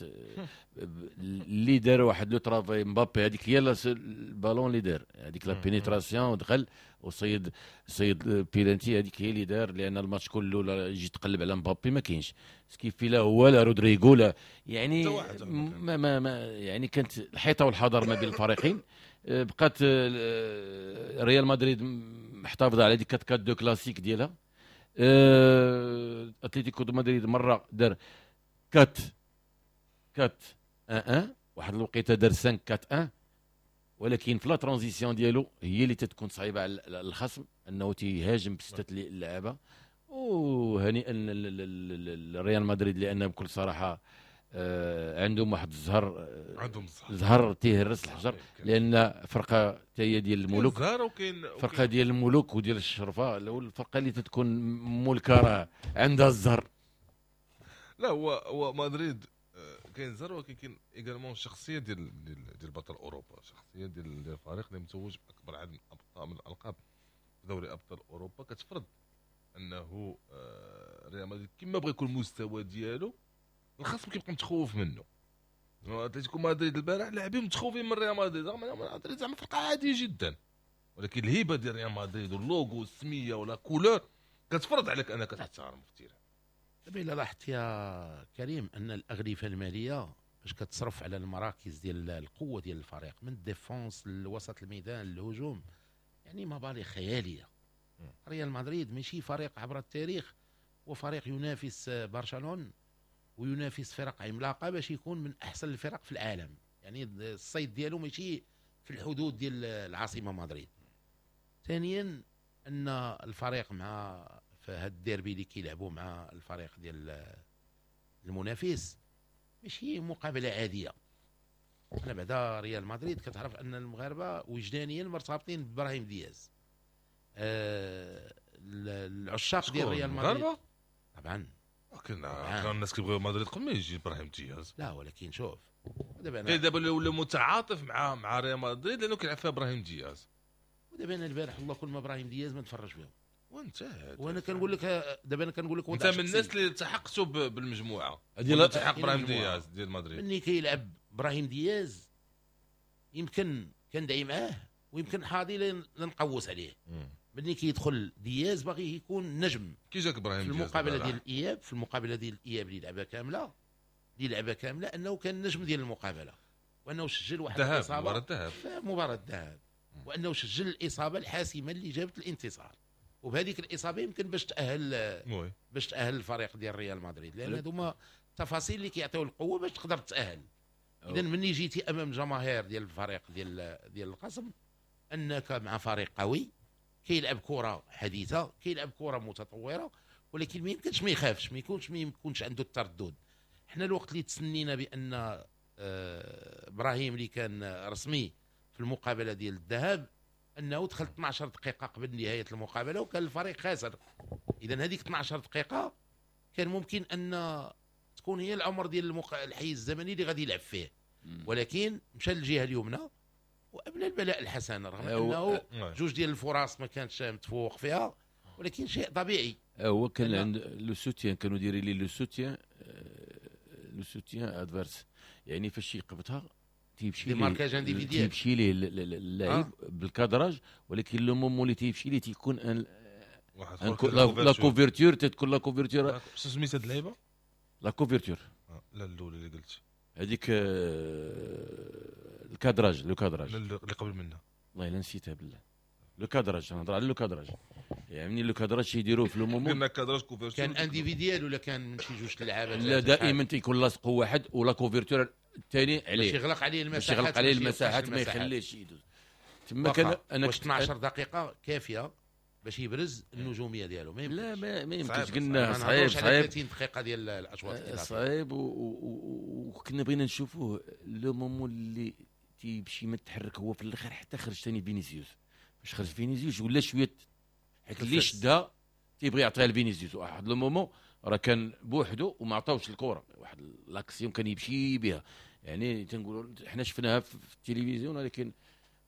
[SPEAKER 4] اللي دار واحد le travail مبابي، هذيك هي البالون اللي دار هذيك la pénétration ودخل وصيد صيد بيلانتي، هذيك هي اللي دار. لان الماتش كله يجي تقلب على مبابي ما كاينش ce qui fait، لا هو لا رودريغو لا يعني ما ما, ما يعني كانت الحيطة والحذر ما بين الفريقين. بقات ريال مدريد محتفظة على ديك 4-4-2 كلاسيك ديالها. اتلتيكو دو مدريد مرة دار 4-4-1، واحد الوقيته دار 5-4-1، ولكن في la transition ديالو هي اللي تتكون صعيبة على الخصم انه تيهاجم بسته اللعابه. وهنيئا لريال مدريد لان بكل صراحة عندهم واحد الزهر،
[SPEAKER 2] عندهم
[SPEAKER 4] زهر تيهرس الحجر، لان فرقه حتى هي ديال الملوك، فرقه ديال الملوك وديال الشرفة، الفرقة اللي تتكون ملكه راه عندها الزهر.
[SPEAKER 2] لا هو مدريد كاين زهر، ولكن كاين également الشخصية ديال ديال بطل اوروبا، شخصية ديال الفريق اللي متوج باكبر عدد من الالقاب في دوري ابطال اوروبا، كتفرض انه ريال مدريد كما بغى يكون المستوى ديالو الخصم كيبقى متخوف منه. اتلتيكو مدريد البارح لاعبين متخوفين من ريال مدريد، رغم ان مدريد زعما فرقه عادية جدا، ولكن الهيبة ديال ريال مدريد واللوغو والسميه و la couleur كتفرض عليك انك تحترم في ال terrain.
[SPEAKER 3] دابا الا لاحظت يا كريم ان الاغلفه المالية باش كتصرف على المراكز ديال القوة ديال الفريق من ال défense لوسط الميدان للهجوم، يعني مبالغ خيالية. ريال مدريد ماشي فريق عبر التاريخ، وفريق ينافس برشلونة وينافس فرق عملاقة باش يكون من احسن الفرق في العالم. يعني الصيد ديالو ماشي في الحدود ديال العاصمة مدريد. ثانيا ان الفريق مع في هذا الديربي اللي كيلعبوا مع الفريق ديال المنافس ماشي مقابله عادية. انا بعدا ريال مدريد كتعرف ان المغاربة وجدانيا مرتبطين بابراهيم دياز. العشاق ديال ريال مدريد طبعا.
[SPEAKER 2] كان الناس كيبغيو مدريد قبل ما يجي ابراهيم دياز.
[SPEAKER 3] لا ولكن شوف
[SPEAKER 2] دابا ولا متعاطف مع ريال مدريد لانه كيلعب فيها ابراهيم دياز.
[SPEAKER 3] ودابا انا البارح والله كل ما ابراهيم دياز ما نتفرج فيهم
[SPEAKER 2] وانت.
[SPEAKER 3] وانا كنقول لك دابا انا كنقول لك
[SPEAKER 2] انت من الناس اللي التحقتوا بالمجموعة هذه التحق ابراهيم دياز ديال مدريد.
[SPEAKER 3] ملي كيلعب ابراهيم دياز يمكن كندعي معاه ويمكن حاضي لنقوس عليه. ملي كيدخل دياز باغي يكون نجم.
[SPEAKER 2] كي جاك ابراهيم
[SPEAKER 3] دياز في المقابلة ديال الاياب، في المقابلة ديال الاياب اللي لعبها كاملة انه كان نجم ديال المقابلة وانه سجل واحد الاصابة مباراة الذهاب، وانه سجل الاصابة الحاسمة اللي جابت الانتصار. وبهذيك الاصابة يمكن باش تاهل الفريق ديال ريال مدريد، لان هذوما التفاصيل اللي كيعطيو القوة باش تقدر تاهل. اذا مني جيتي امام جماهير ديال الفريق ديال القسم انك مع فريق قوي كيلعب كره حديثه، كيلعب كره متطورة، ولكن ما يمكنش ما يخافش، ما يكونش عنده التردد. حنا الوقت اللي تسنينا بان ابراهيم اللي كان رسمي في المقابلة ديال الذهاب انه دخل 12 دقيقة قبل نهاية المقابلة وكان الفريق خاسر. اذا هذيك 12 دقيقة كان ممكن ان تكون هي العمر ديال الحيز الزمني اللي غادي يلعب فيه، ولكن مشى للجهة اليمنى وابنى البلاء الحسن، رغم انه جوج ديال الفرص ما كانش متفوق فيها، ولكن شيء طبيعي.
[SPEAKER 4] هو كان عند le soutien، كانوا دايرين لي le soutien، le soutien adverse، يعني فاش يقبطها تيمشي ليه تيمشي ليه اللاعب بال cadrage، ولكن le moment اللي تيمشي ليه تيكون la couverture، تتكون la couverture.
[SPEAKER 2] شنو سميت هاد اللعيبة؟
[SPEAKER 4] la couverture.
[SPEAKER 2] لا الاولى اللي قلت
[SPEAKER 4] هذيك ال cadrage، le cadrage
[SPEAKER 2] اللي قبل منها
[SPEAKER 4] والله الا نسيتها بالله. le cadrage، نهضر على le cadrage، يعني le cadrage يديروه في le moment.
[SPEAKER 2] قلنا cadrage couverture
[SPEAKER 3] كان individuel ولا كان من شي جوج اللعابه؟
[SPEAKER 4] لا دائما تيكون لاصق واحد و la couverture الثاني عليه
[SPEAKER 3] باش يغلق عليه المساحات،
[SPEAKER 4] باش يغلق عليه المساحات ما يخليهش يدوز. تما كان انا
[SPEAKER 3] 12 دقيقة كافيه باش يبرز النجومية ديالو. ما
[SPEAKER 4] لا ما يمكنش، قلنا صعيب
[SPEAKER 3] 30 دقيقة ديال الاشواط الاضافية
[SPEAKER 4] صعيب، وكنا بغينا نشوفوه le moment اللي تيمشي ما تحرك هو في الاخر حتى خرج ثاني فينيسيوس. باش خرج فينيسيوس ولا شوية حيت اللي شدها تيبغي يعطيها لفينيسيوس. واحد le moment راه كان بوحدو وما عطاوش الكره، واحد l'action كان يمشي بها، يعني تنقولوا حنا شفناها في التلفزيون ولكن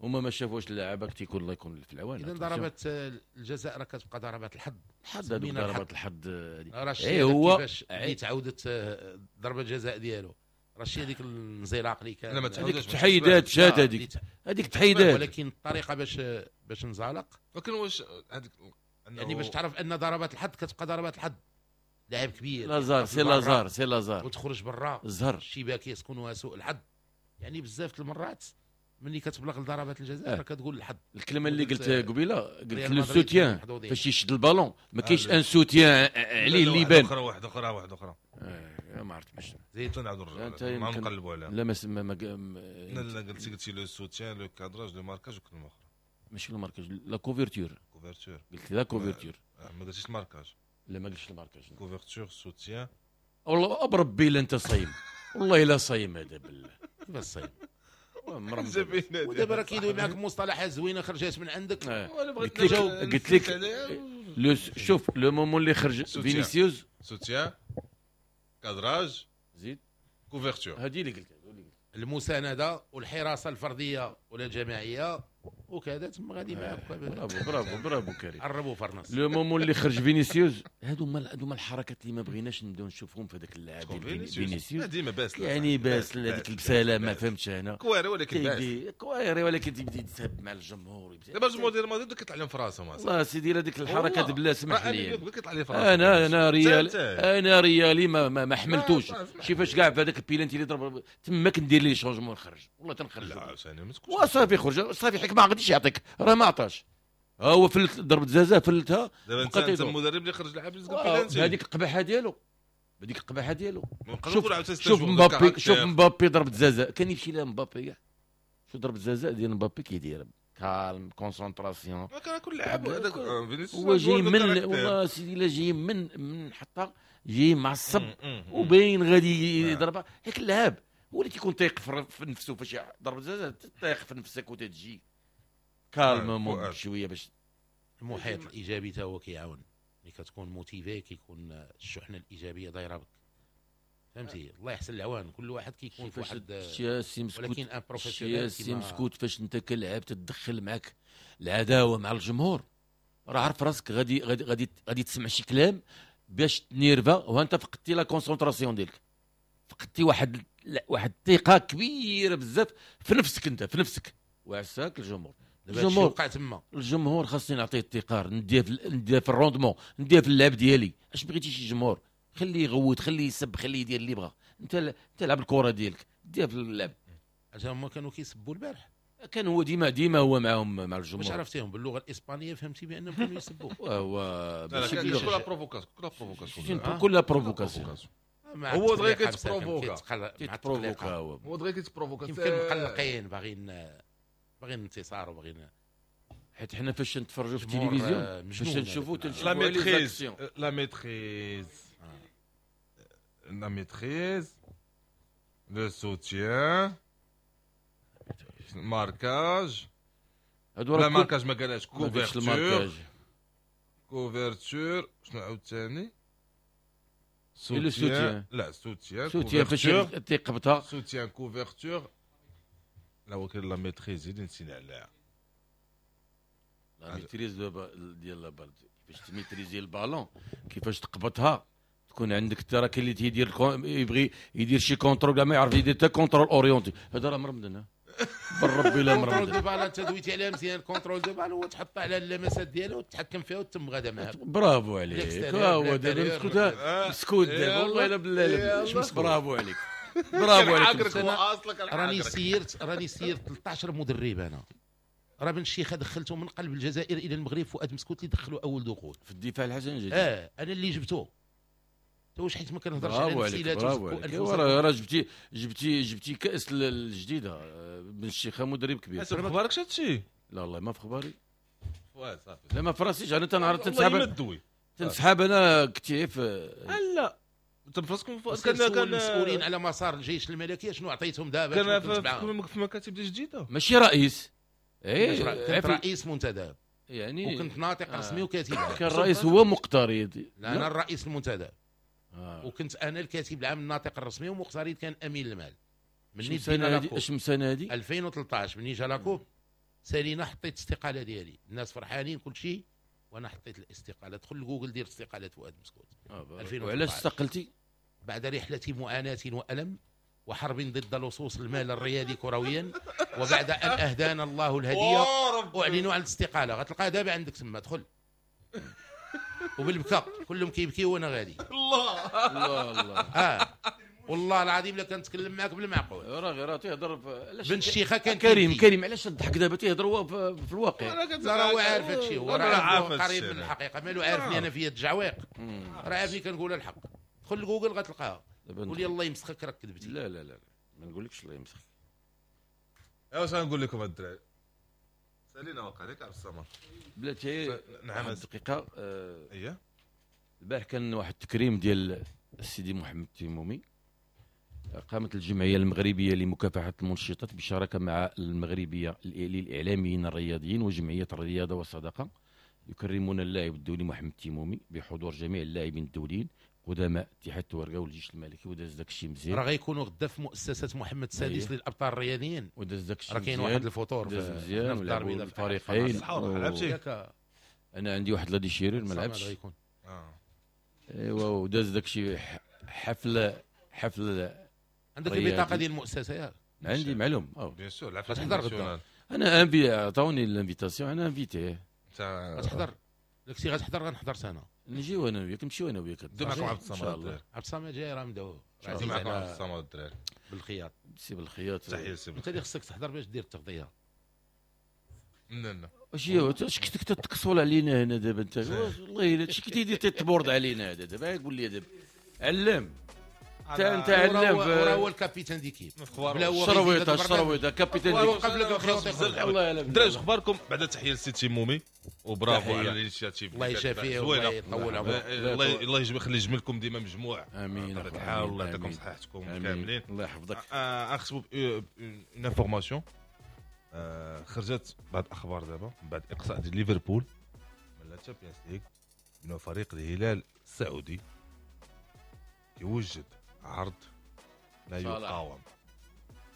[SPEAKER 4] هما ما شافوش اللعابه تيكون الله يكون في العوان.
[SPEAKER 3] اذا ضربات الجزاء راه كتبقى ضربات الحظ،
[SPEAKER 4] الحظ هذوك ضربات الحظ
[SPEAKER 3] هذه. اي هو كيفاش اللي تعاودت ضربه الجزاء ديالو رشي هذيك الانزلاق اللي كان،
[SPEAKER 4] هذيك تحيدات جات هذيك تحيدات،
[SPEAKER 3] ولكن الطريقة باش انزلق.
[SPEAKER 2] ولكن واش هذيك
[SPEAKER 3] يعني باش تعرف ان ضربات الحظ كتبقى ضربات الحظ، لاعب كبير
[SPEAKER 4] لازار c'est لازار c'est لازار
[SPEAKER 3] وتخرج برا
[SPEAKER 4] الزهر
[SPEAKER 3] الشباك يسكنها سوء الحظ. يعني بزاف المرات ملي كتبلغ لضربات الجزاء راه كتقول الحظ.
[SPEAKER 4] الكلمة اللي قلت قبيلة، قلت le soutien فاش يشد البالون ما كاينش un soutien عليه اللي يبان.
[SPEAKER 2] واحدة اخرى واحدة اخرى
[SPEAKER 4] ما عرفت باش
[SPEAKER 2] زيد نعاودوا نرجعوا ما نقلبوا عليها.
[SPEAKER 4] لا ما
[SPEAKER 2] لا قلتي le soutien le cadrage le marquage وكلمه اخرى
[SPEAKER 4] ماشي le marquage، la couverture.
[SPEAKER 2] couverture
[SPEAKER 4] قلت la couverture،
[SPEAKER 2] ما قلتيش ال marquage.
[SPEAKER 4] لا ما قلتش ال marquage،
[SPEAKER 2] couverture soutien.
[SPEAKER 4] والله بربي الا انت صايم، والله الا صايم هذا بالله.
[SPEAKER 3] كيفاش صايم؟ ودابا راه كيدوي معاك مصطلحات زوينة خرجات من عندك.
[SPEAKER 4] قلت لك شوف le moment اللي خرج فينيسيوس
[SPEAKER 2] soutien cadrage
[SPEAKER 4] زيد
[SPEAKER 2] couverture،
[SPEAKER 4] هذه اللي قلت،
[SPEAKER 3] المساندة والحراسه الفردية ولا الجماعية وكذا تما غادي معاك.
[SPEAKER 4] bravo bravo bravo كريم،
[SPEAKER 3] قربوا فرناس.
[SPEAKER 4] le moment اللي خرج فينيسيوس، هادو هما الحركات اللي ما بغيناش نبداو نشوفهم في هذاك اللاعب ديال فينيسيوس.
[SPEAKER 2] ديما باسل،
[SPEAKER 4] يعني باسل هذيك البساله ما فهمتش انا،
[SPEAKER 2] كواري ولكن باسل،
[SPEAKER 4] كواري ولكن تيبدا يتسب مع الجمهور.
[SPEAKER 2] دابا الجمهور ديال مدريد كيطلع لهم في راسهم.
[SPEAKER 4] والله سيدي هذيك الحركات بلا سمح لي
[SPEAKER 2] كيطلع لي في راسهم.
[SPEAKER 4] انا ريال، انا ريالي ما حملتوش. شي فاش كاع في هذاك البيلانتي اللي ضرب تما كندير les changements نخرج، والله تنخرج.
[SPEAKER 2] لا ثاني ما تكونش
[SPEAKER 4] وصافي خرج صافي، حيت ما غاديش يعطيك، راه ما عطاش. ها هو فلت ضربة جزاء فلتها.
[SPEAKER 2] دابا انت المدرب اللي خرج لعب
[SPEAKER 4] بيلانتي هذيك القباحه ديالو، هذيك القباحه ديالو. شوف مبابي، شوف مبابي ضربة جزاء كان يمشي لها مبابي كاع. شو ضربه الجزاء ديال مبابي كيدير calme concentration،
[SPEAKER 2] كان كل لعب هذاك فينيسيوس
[SPEAKER 4] هو جاي من والله سيدي لا جاي من حطه، جاي معصب وباين غادي يضربها. هيك اللعاب هو اللي تيكون تايق في نفسه، فاش ضرب الجزاء تايق في نفسك وتتجي calmement شوية باش
[SPEAKER 3] المحيط الايجابي تا هو كيعاون. ملي كتكون motivé كيكون الشحنة الايجابية دايرة بك، فهمتي؟ الله يحسن العوان، كل واحد كيكون في واحد، ولكن un professionnel
[SPEAKER 4] سي مسكوت فاش انت كلاعب تتدخل معك العداوة مع الجمهور، راه عارف راسك غادي غادي غادي غادي تسمع شي كلام باش تنيرفا، وانت فقدتي la concentration ديالك، فقدتي واحد الثقة كبيرة بزاف في نفسك، انت في نفسك وعساك الجمهور.
[SPEAKER 3] الجمهور وقع تما،
[SPEAKER 4] الجمهور خاصني نعطيه الثقار، نديه في ال rendement، نديه في اللعب ديالي. اش بغيتي شي جمهور؟ خليه يغوت، خليه يسب، خليه يدير اللي بغا، انت تلعب الكره ديالك، ديها في اللعب.
[SPEAKER 3] عشان هما كانوا كيسبوا البارح،
[SPEAKER 4] كان هو ديما هو معاهم مع الجمهور.
[SPEAKER 3] واش عرفتيهم باللغة الاسبانية؟ فهمتي بانهم كانوا يسبوا.
[SPEAKER 4] هو
[SPEAKER 2] كلها provocation، كلها provocation،
[SPEAKER 4] كلها provocation.
[SPEAKER 2] هو دغيا كيتبروفوكا، هو دغيا كيتبروفوكا.
[SPEAKER 3] يمكن مقلقين، باغيين انتصار وباغيين،
[SPEAKER 4] حيت حنا فاش نتفرجوا في التلفزيون فاش نشوفوا تنشوفوا
[SPEAKER 2] la maîtrise، la maîtrise، le soutien، marquage. لا marquage ما قالهاش، couverture، couverture شنو عاوتاني؟ soutien، لا soutien،
[SPEAKER 4] soutien فاش تيقبطها،
[SPEAKER 2] soutien couverture. لا ولكن la maîtrise اللي نسينا عليها،
[SPEAKER 4] la maîtrise ديال la balle، كيفاش تميتريزي البالون، كيفاش تقبطها، تكون عندك ترى كاين اللي تيدير يبغي يدير شي contrôle كاع ما يعرف يدير حتى contrôle orienté. هذا راه مرمدنا بالربي لا مرمدنا.
[SPEAKER 3] contrôle de balle انت دويتي عليها مزيان. contrôle de balle هو تحط على اللمسات ديالو وتتحكم فيها وتم غادا معاها.
[SPEAKER 4] برافو عليك، ها هو دابا مسكوت، مسكوت دابا والله الا بالله. برافو عليك، برافو عليك.
[SPEAKER 3] راني سيرت 13 مدرب انا. راه بن الشيخه دخلته من قلب الجزائر الى المغرب، فؤاد مسكوت اللي دخلوا اول دخول
[SPEAKER 4] في الدفاع الحسن الجديد.
[SPEAKER 3] انا اللي جبته. واش حيت ما كنهضرش على نفسي.
[SPEAKER 4] راه جبتي كاس الجديدة. بن الشيخه مدرب كبير.
[SPEAKER 2] في اخبارك هادشي؟
[SPEAKER 4] لا والله ما في اخباري.
[SPEAKER 2] صافي،
[SPEAKER 4] لا ما في راسيش. انا تنعرف تنسحب انا كتيف.
[SPEAKER 2] لا انت فراسكم
[SPEAKER 3] كان المسؤولين على مسار الجيش الملكي شنو عطيتهم دابا؟
[SPEAKER 2] كان في مكاتب جديدة،
[SPEAKER 4] ماشي رئيس.
[SPEAKER 3] كنت رئيس منتدب يعني، وكنت ناطق رسمي وكاتب.
[SPEAKER 4] كان الرئيس هو مقترض.
[SPEAKER 3] لا انا الرئيس المنتدب. وكنت انا الكاتب العام الناطق الرسمي، ومقترض كان امين المال. مني دينا la coupe،
[SPEAKER 4] اش سنة هذه؟
[SPEAKER 3] 2013 مني جا la coupe سالينا، حطيت الاستقالة ديالي، الناس فرحانين كل شيء، وانا حطيت الاستقالة. دخل لجوجل دير استقالة فؤاد مسكوت.
[SPEAKER 4] 2013. وعلاش استقلتي؟
[SPEAKER 3] بعد رحله معاناة والم وحرب ضد لصوص المال الريادي كرويا، وبعد ان اهدانا الله الهدية اعلنوا عن الاستقالة. غتلقاها دابا عندك تما، دخل. وبالبكاء كلهم كيبكيو وانا غادي.
[SPEAKER 2] الله
[SPEAKER 4] الله الله.
[SPEAKER 3] والله العظيم لا كنتكلم معاك بالمعقول.
[SPEAKER 4] راه غير تيهضر.
[SPEAKER 3] بن الشيخه كان
[SPEAKER 4] كريم علاش تضحك دابا؟ تيهضر هو في الواقع.
[SPEAKER 3] لا راه هو عارف هادشي، هو راه عارف قريب من الحقيقة، مالو عارفني انا فيا التجعويق، راه عارفني كنقول الحق. دخل لجوجل غتلقاها. قول لي الله يمسخك راك كذبتي.
[SPEAKER 4] لا لا لا ما نقولكش الله يمسخك.
[SPEAKER 2] واش غنقول لكم الدراري؟ سالينا وقع عليك عبد الصمد
[SPEAKER 4] بلاتي.
[SPEAKER 2] نعم
[SPEAKER 4] دقيقة.
[SPEAKER 2] اييه
[SPEAKER 4] البارح كان واحد التكريم ديال السيدي محمد التيمومي. قامت الجمعية المغربية لمكافحة المنشطات بشراكه مع المغربية للاعلاميين الرياضيين وجمعية الرياضة والصداقة، يكرمون اللاعب الدولي محمد التيمومي بحضور جميع اللاعبين الدوليين قدماء اتحاد التوارقه والجيش الملكي. وداز داك الشيء مزيان.
[SPEAKER 3] راه غيكونوا غدا في مؤسسة محمد السادس للابطال الرياضيين.
[SPEAKER 4] وداز داك الشيء
[SPEAKER 3] راه كاين واحد الفطور
[SPEAKER 4] داز مزيان ولعبوا الفريقين. انا عندي واحد la déchirure ما لعبتش. ايوا وداز داك الشيء حفلة.
[SPEAKER 3] عندك البطاقة ديال المؤسسة ياك؟
[SPEAKER 4] عندي معلوم.
[SPEAKER 2] bien sûr
[SPEAKER 3] غتحضر غدا.
[SPEAKER 4] انا invité، عطاوني l'invitation، انا invité.
[SPEAKER 3] غتحضر داكشي؟ غتحضر غنحضر انا.
[SPEAKER 4] نجيو انا وياك، نمشيو انا وياك.
[SPEAKER 2] دو معكم عبد الصمد.
[SPEAKER 3] عبد الصمد جاي راه مدعو.
[SPEAKER 2] دو معكم عبد الصمد الدراري.
[SPEAKER 3] بالخياط.
[SPEAKER 4] سي بالخياط.
[SPEAKER 2] تحية سي.
[SPEAKER 3] انت اللي خصك تحضر باش دير التغطية.
[SPEAKER 2] لا لا.
[SPEAKER 4] واش اش كنت تكسول علينا هنا دابا انت؟ والله الا شي كنتي تتبورد علينا هذا دابا. قول لي دابا علم. انت علام،
[SPEAKER 3] وراه هو ال capitaine d'équipe.
[SPEAKER 4] الشرويطه الشرويطه capitaine d'équipe.
[SPEAKER 3] قبل
[SPEAKER 4] الله يعلم.
[SPEAKER 2] دراري اخباركم بعد تحية للسيتي مومي وبرافو على ال initiative.
[SPEAKER 3] الله يشافيه والله يطول عمره.
[SPEAKER 2] الله الله يخلي جملكم ديما مجموع.
[SPEAKER 4] امين.
[SPEAKER 2] بطبيعة الحال الله يعطيكم صحتكم كاملين.
[SPEAKER 4] الله يحفظك.
[SPEAKER 2] نختموا une information خرجت بعد اخبار دابا بعد اقصاء ديال ليفربول من la Champions League، من فريق الهلال السعودي كيوجد عرض لا يقاوم.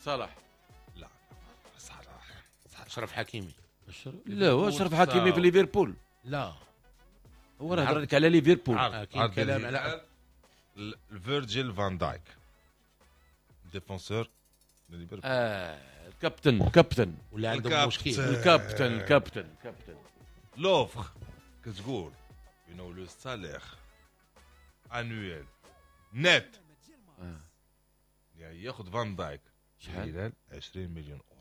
[SPEAKER 4] صلاح.
[SPEAKER 2] لا صلاح
[SPEAKER 3] اشرف حكيمي.
[SPEAKER 4] لا هو اشرف حكيمي في ليفربول.
[SPEAKER 3] لا
[SPEAKER 4] هو راه هضر لك على ليفربول.
[SPEAKER 3] كاين كلام على
[SPEAKER 2] فيرجيل فان دايك défenseur ليفربول.
[SPEAKER 4] الكابتن كابتن
[SPEAKER 3] ولا عندهم مشكل.
[SPEAKER 4] الكابتن كابتن كابتن
[SPEAKER 2] l'offre كتقول انه le salaire annuel net يعني ياخذ فان دايك شحال؟ 20 مليون اورو.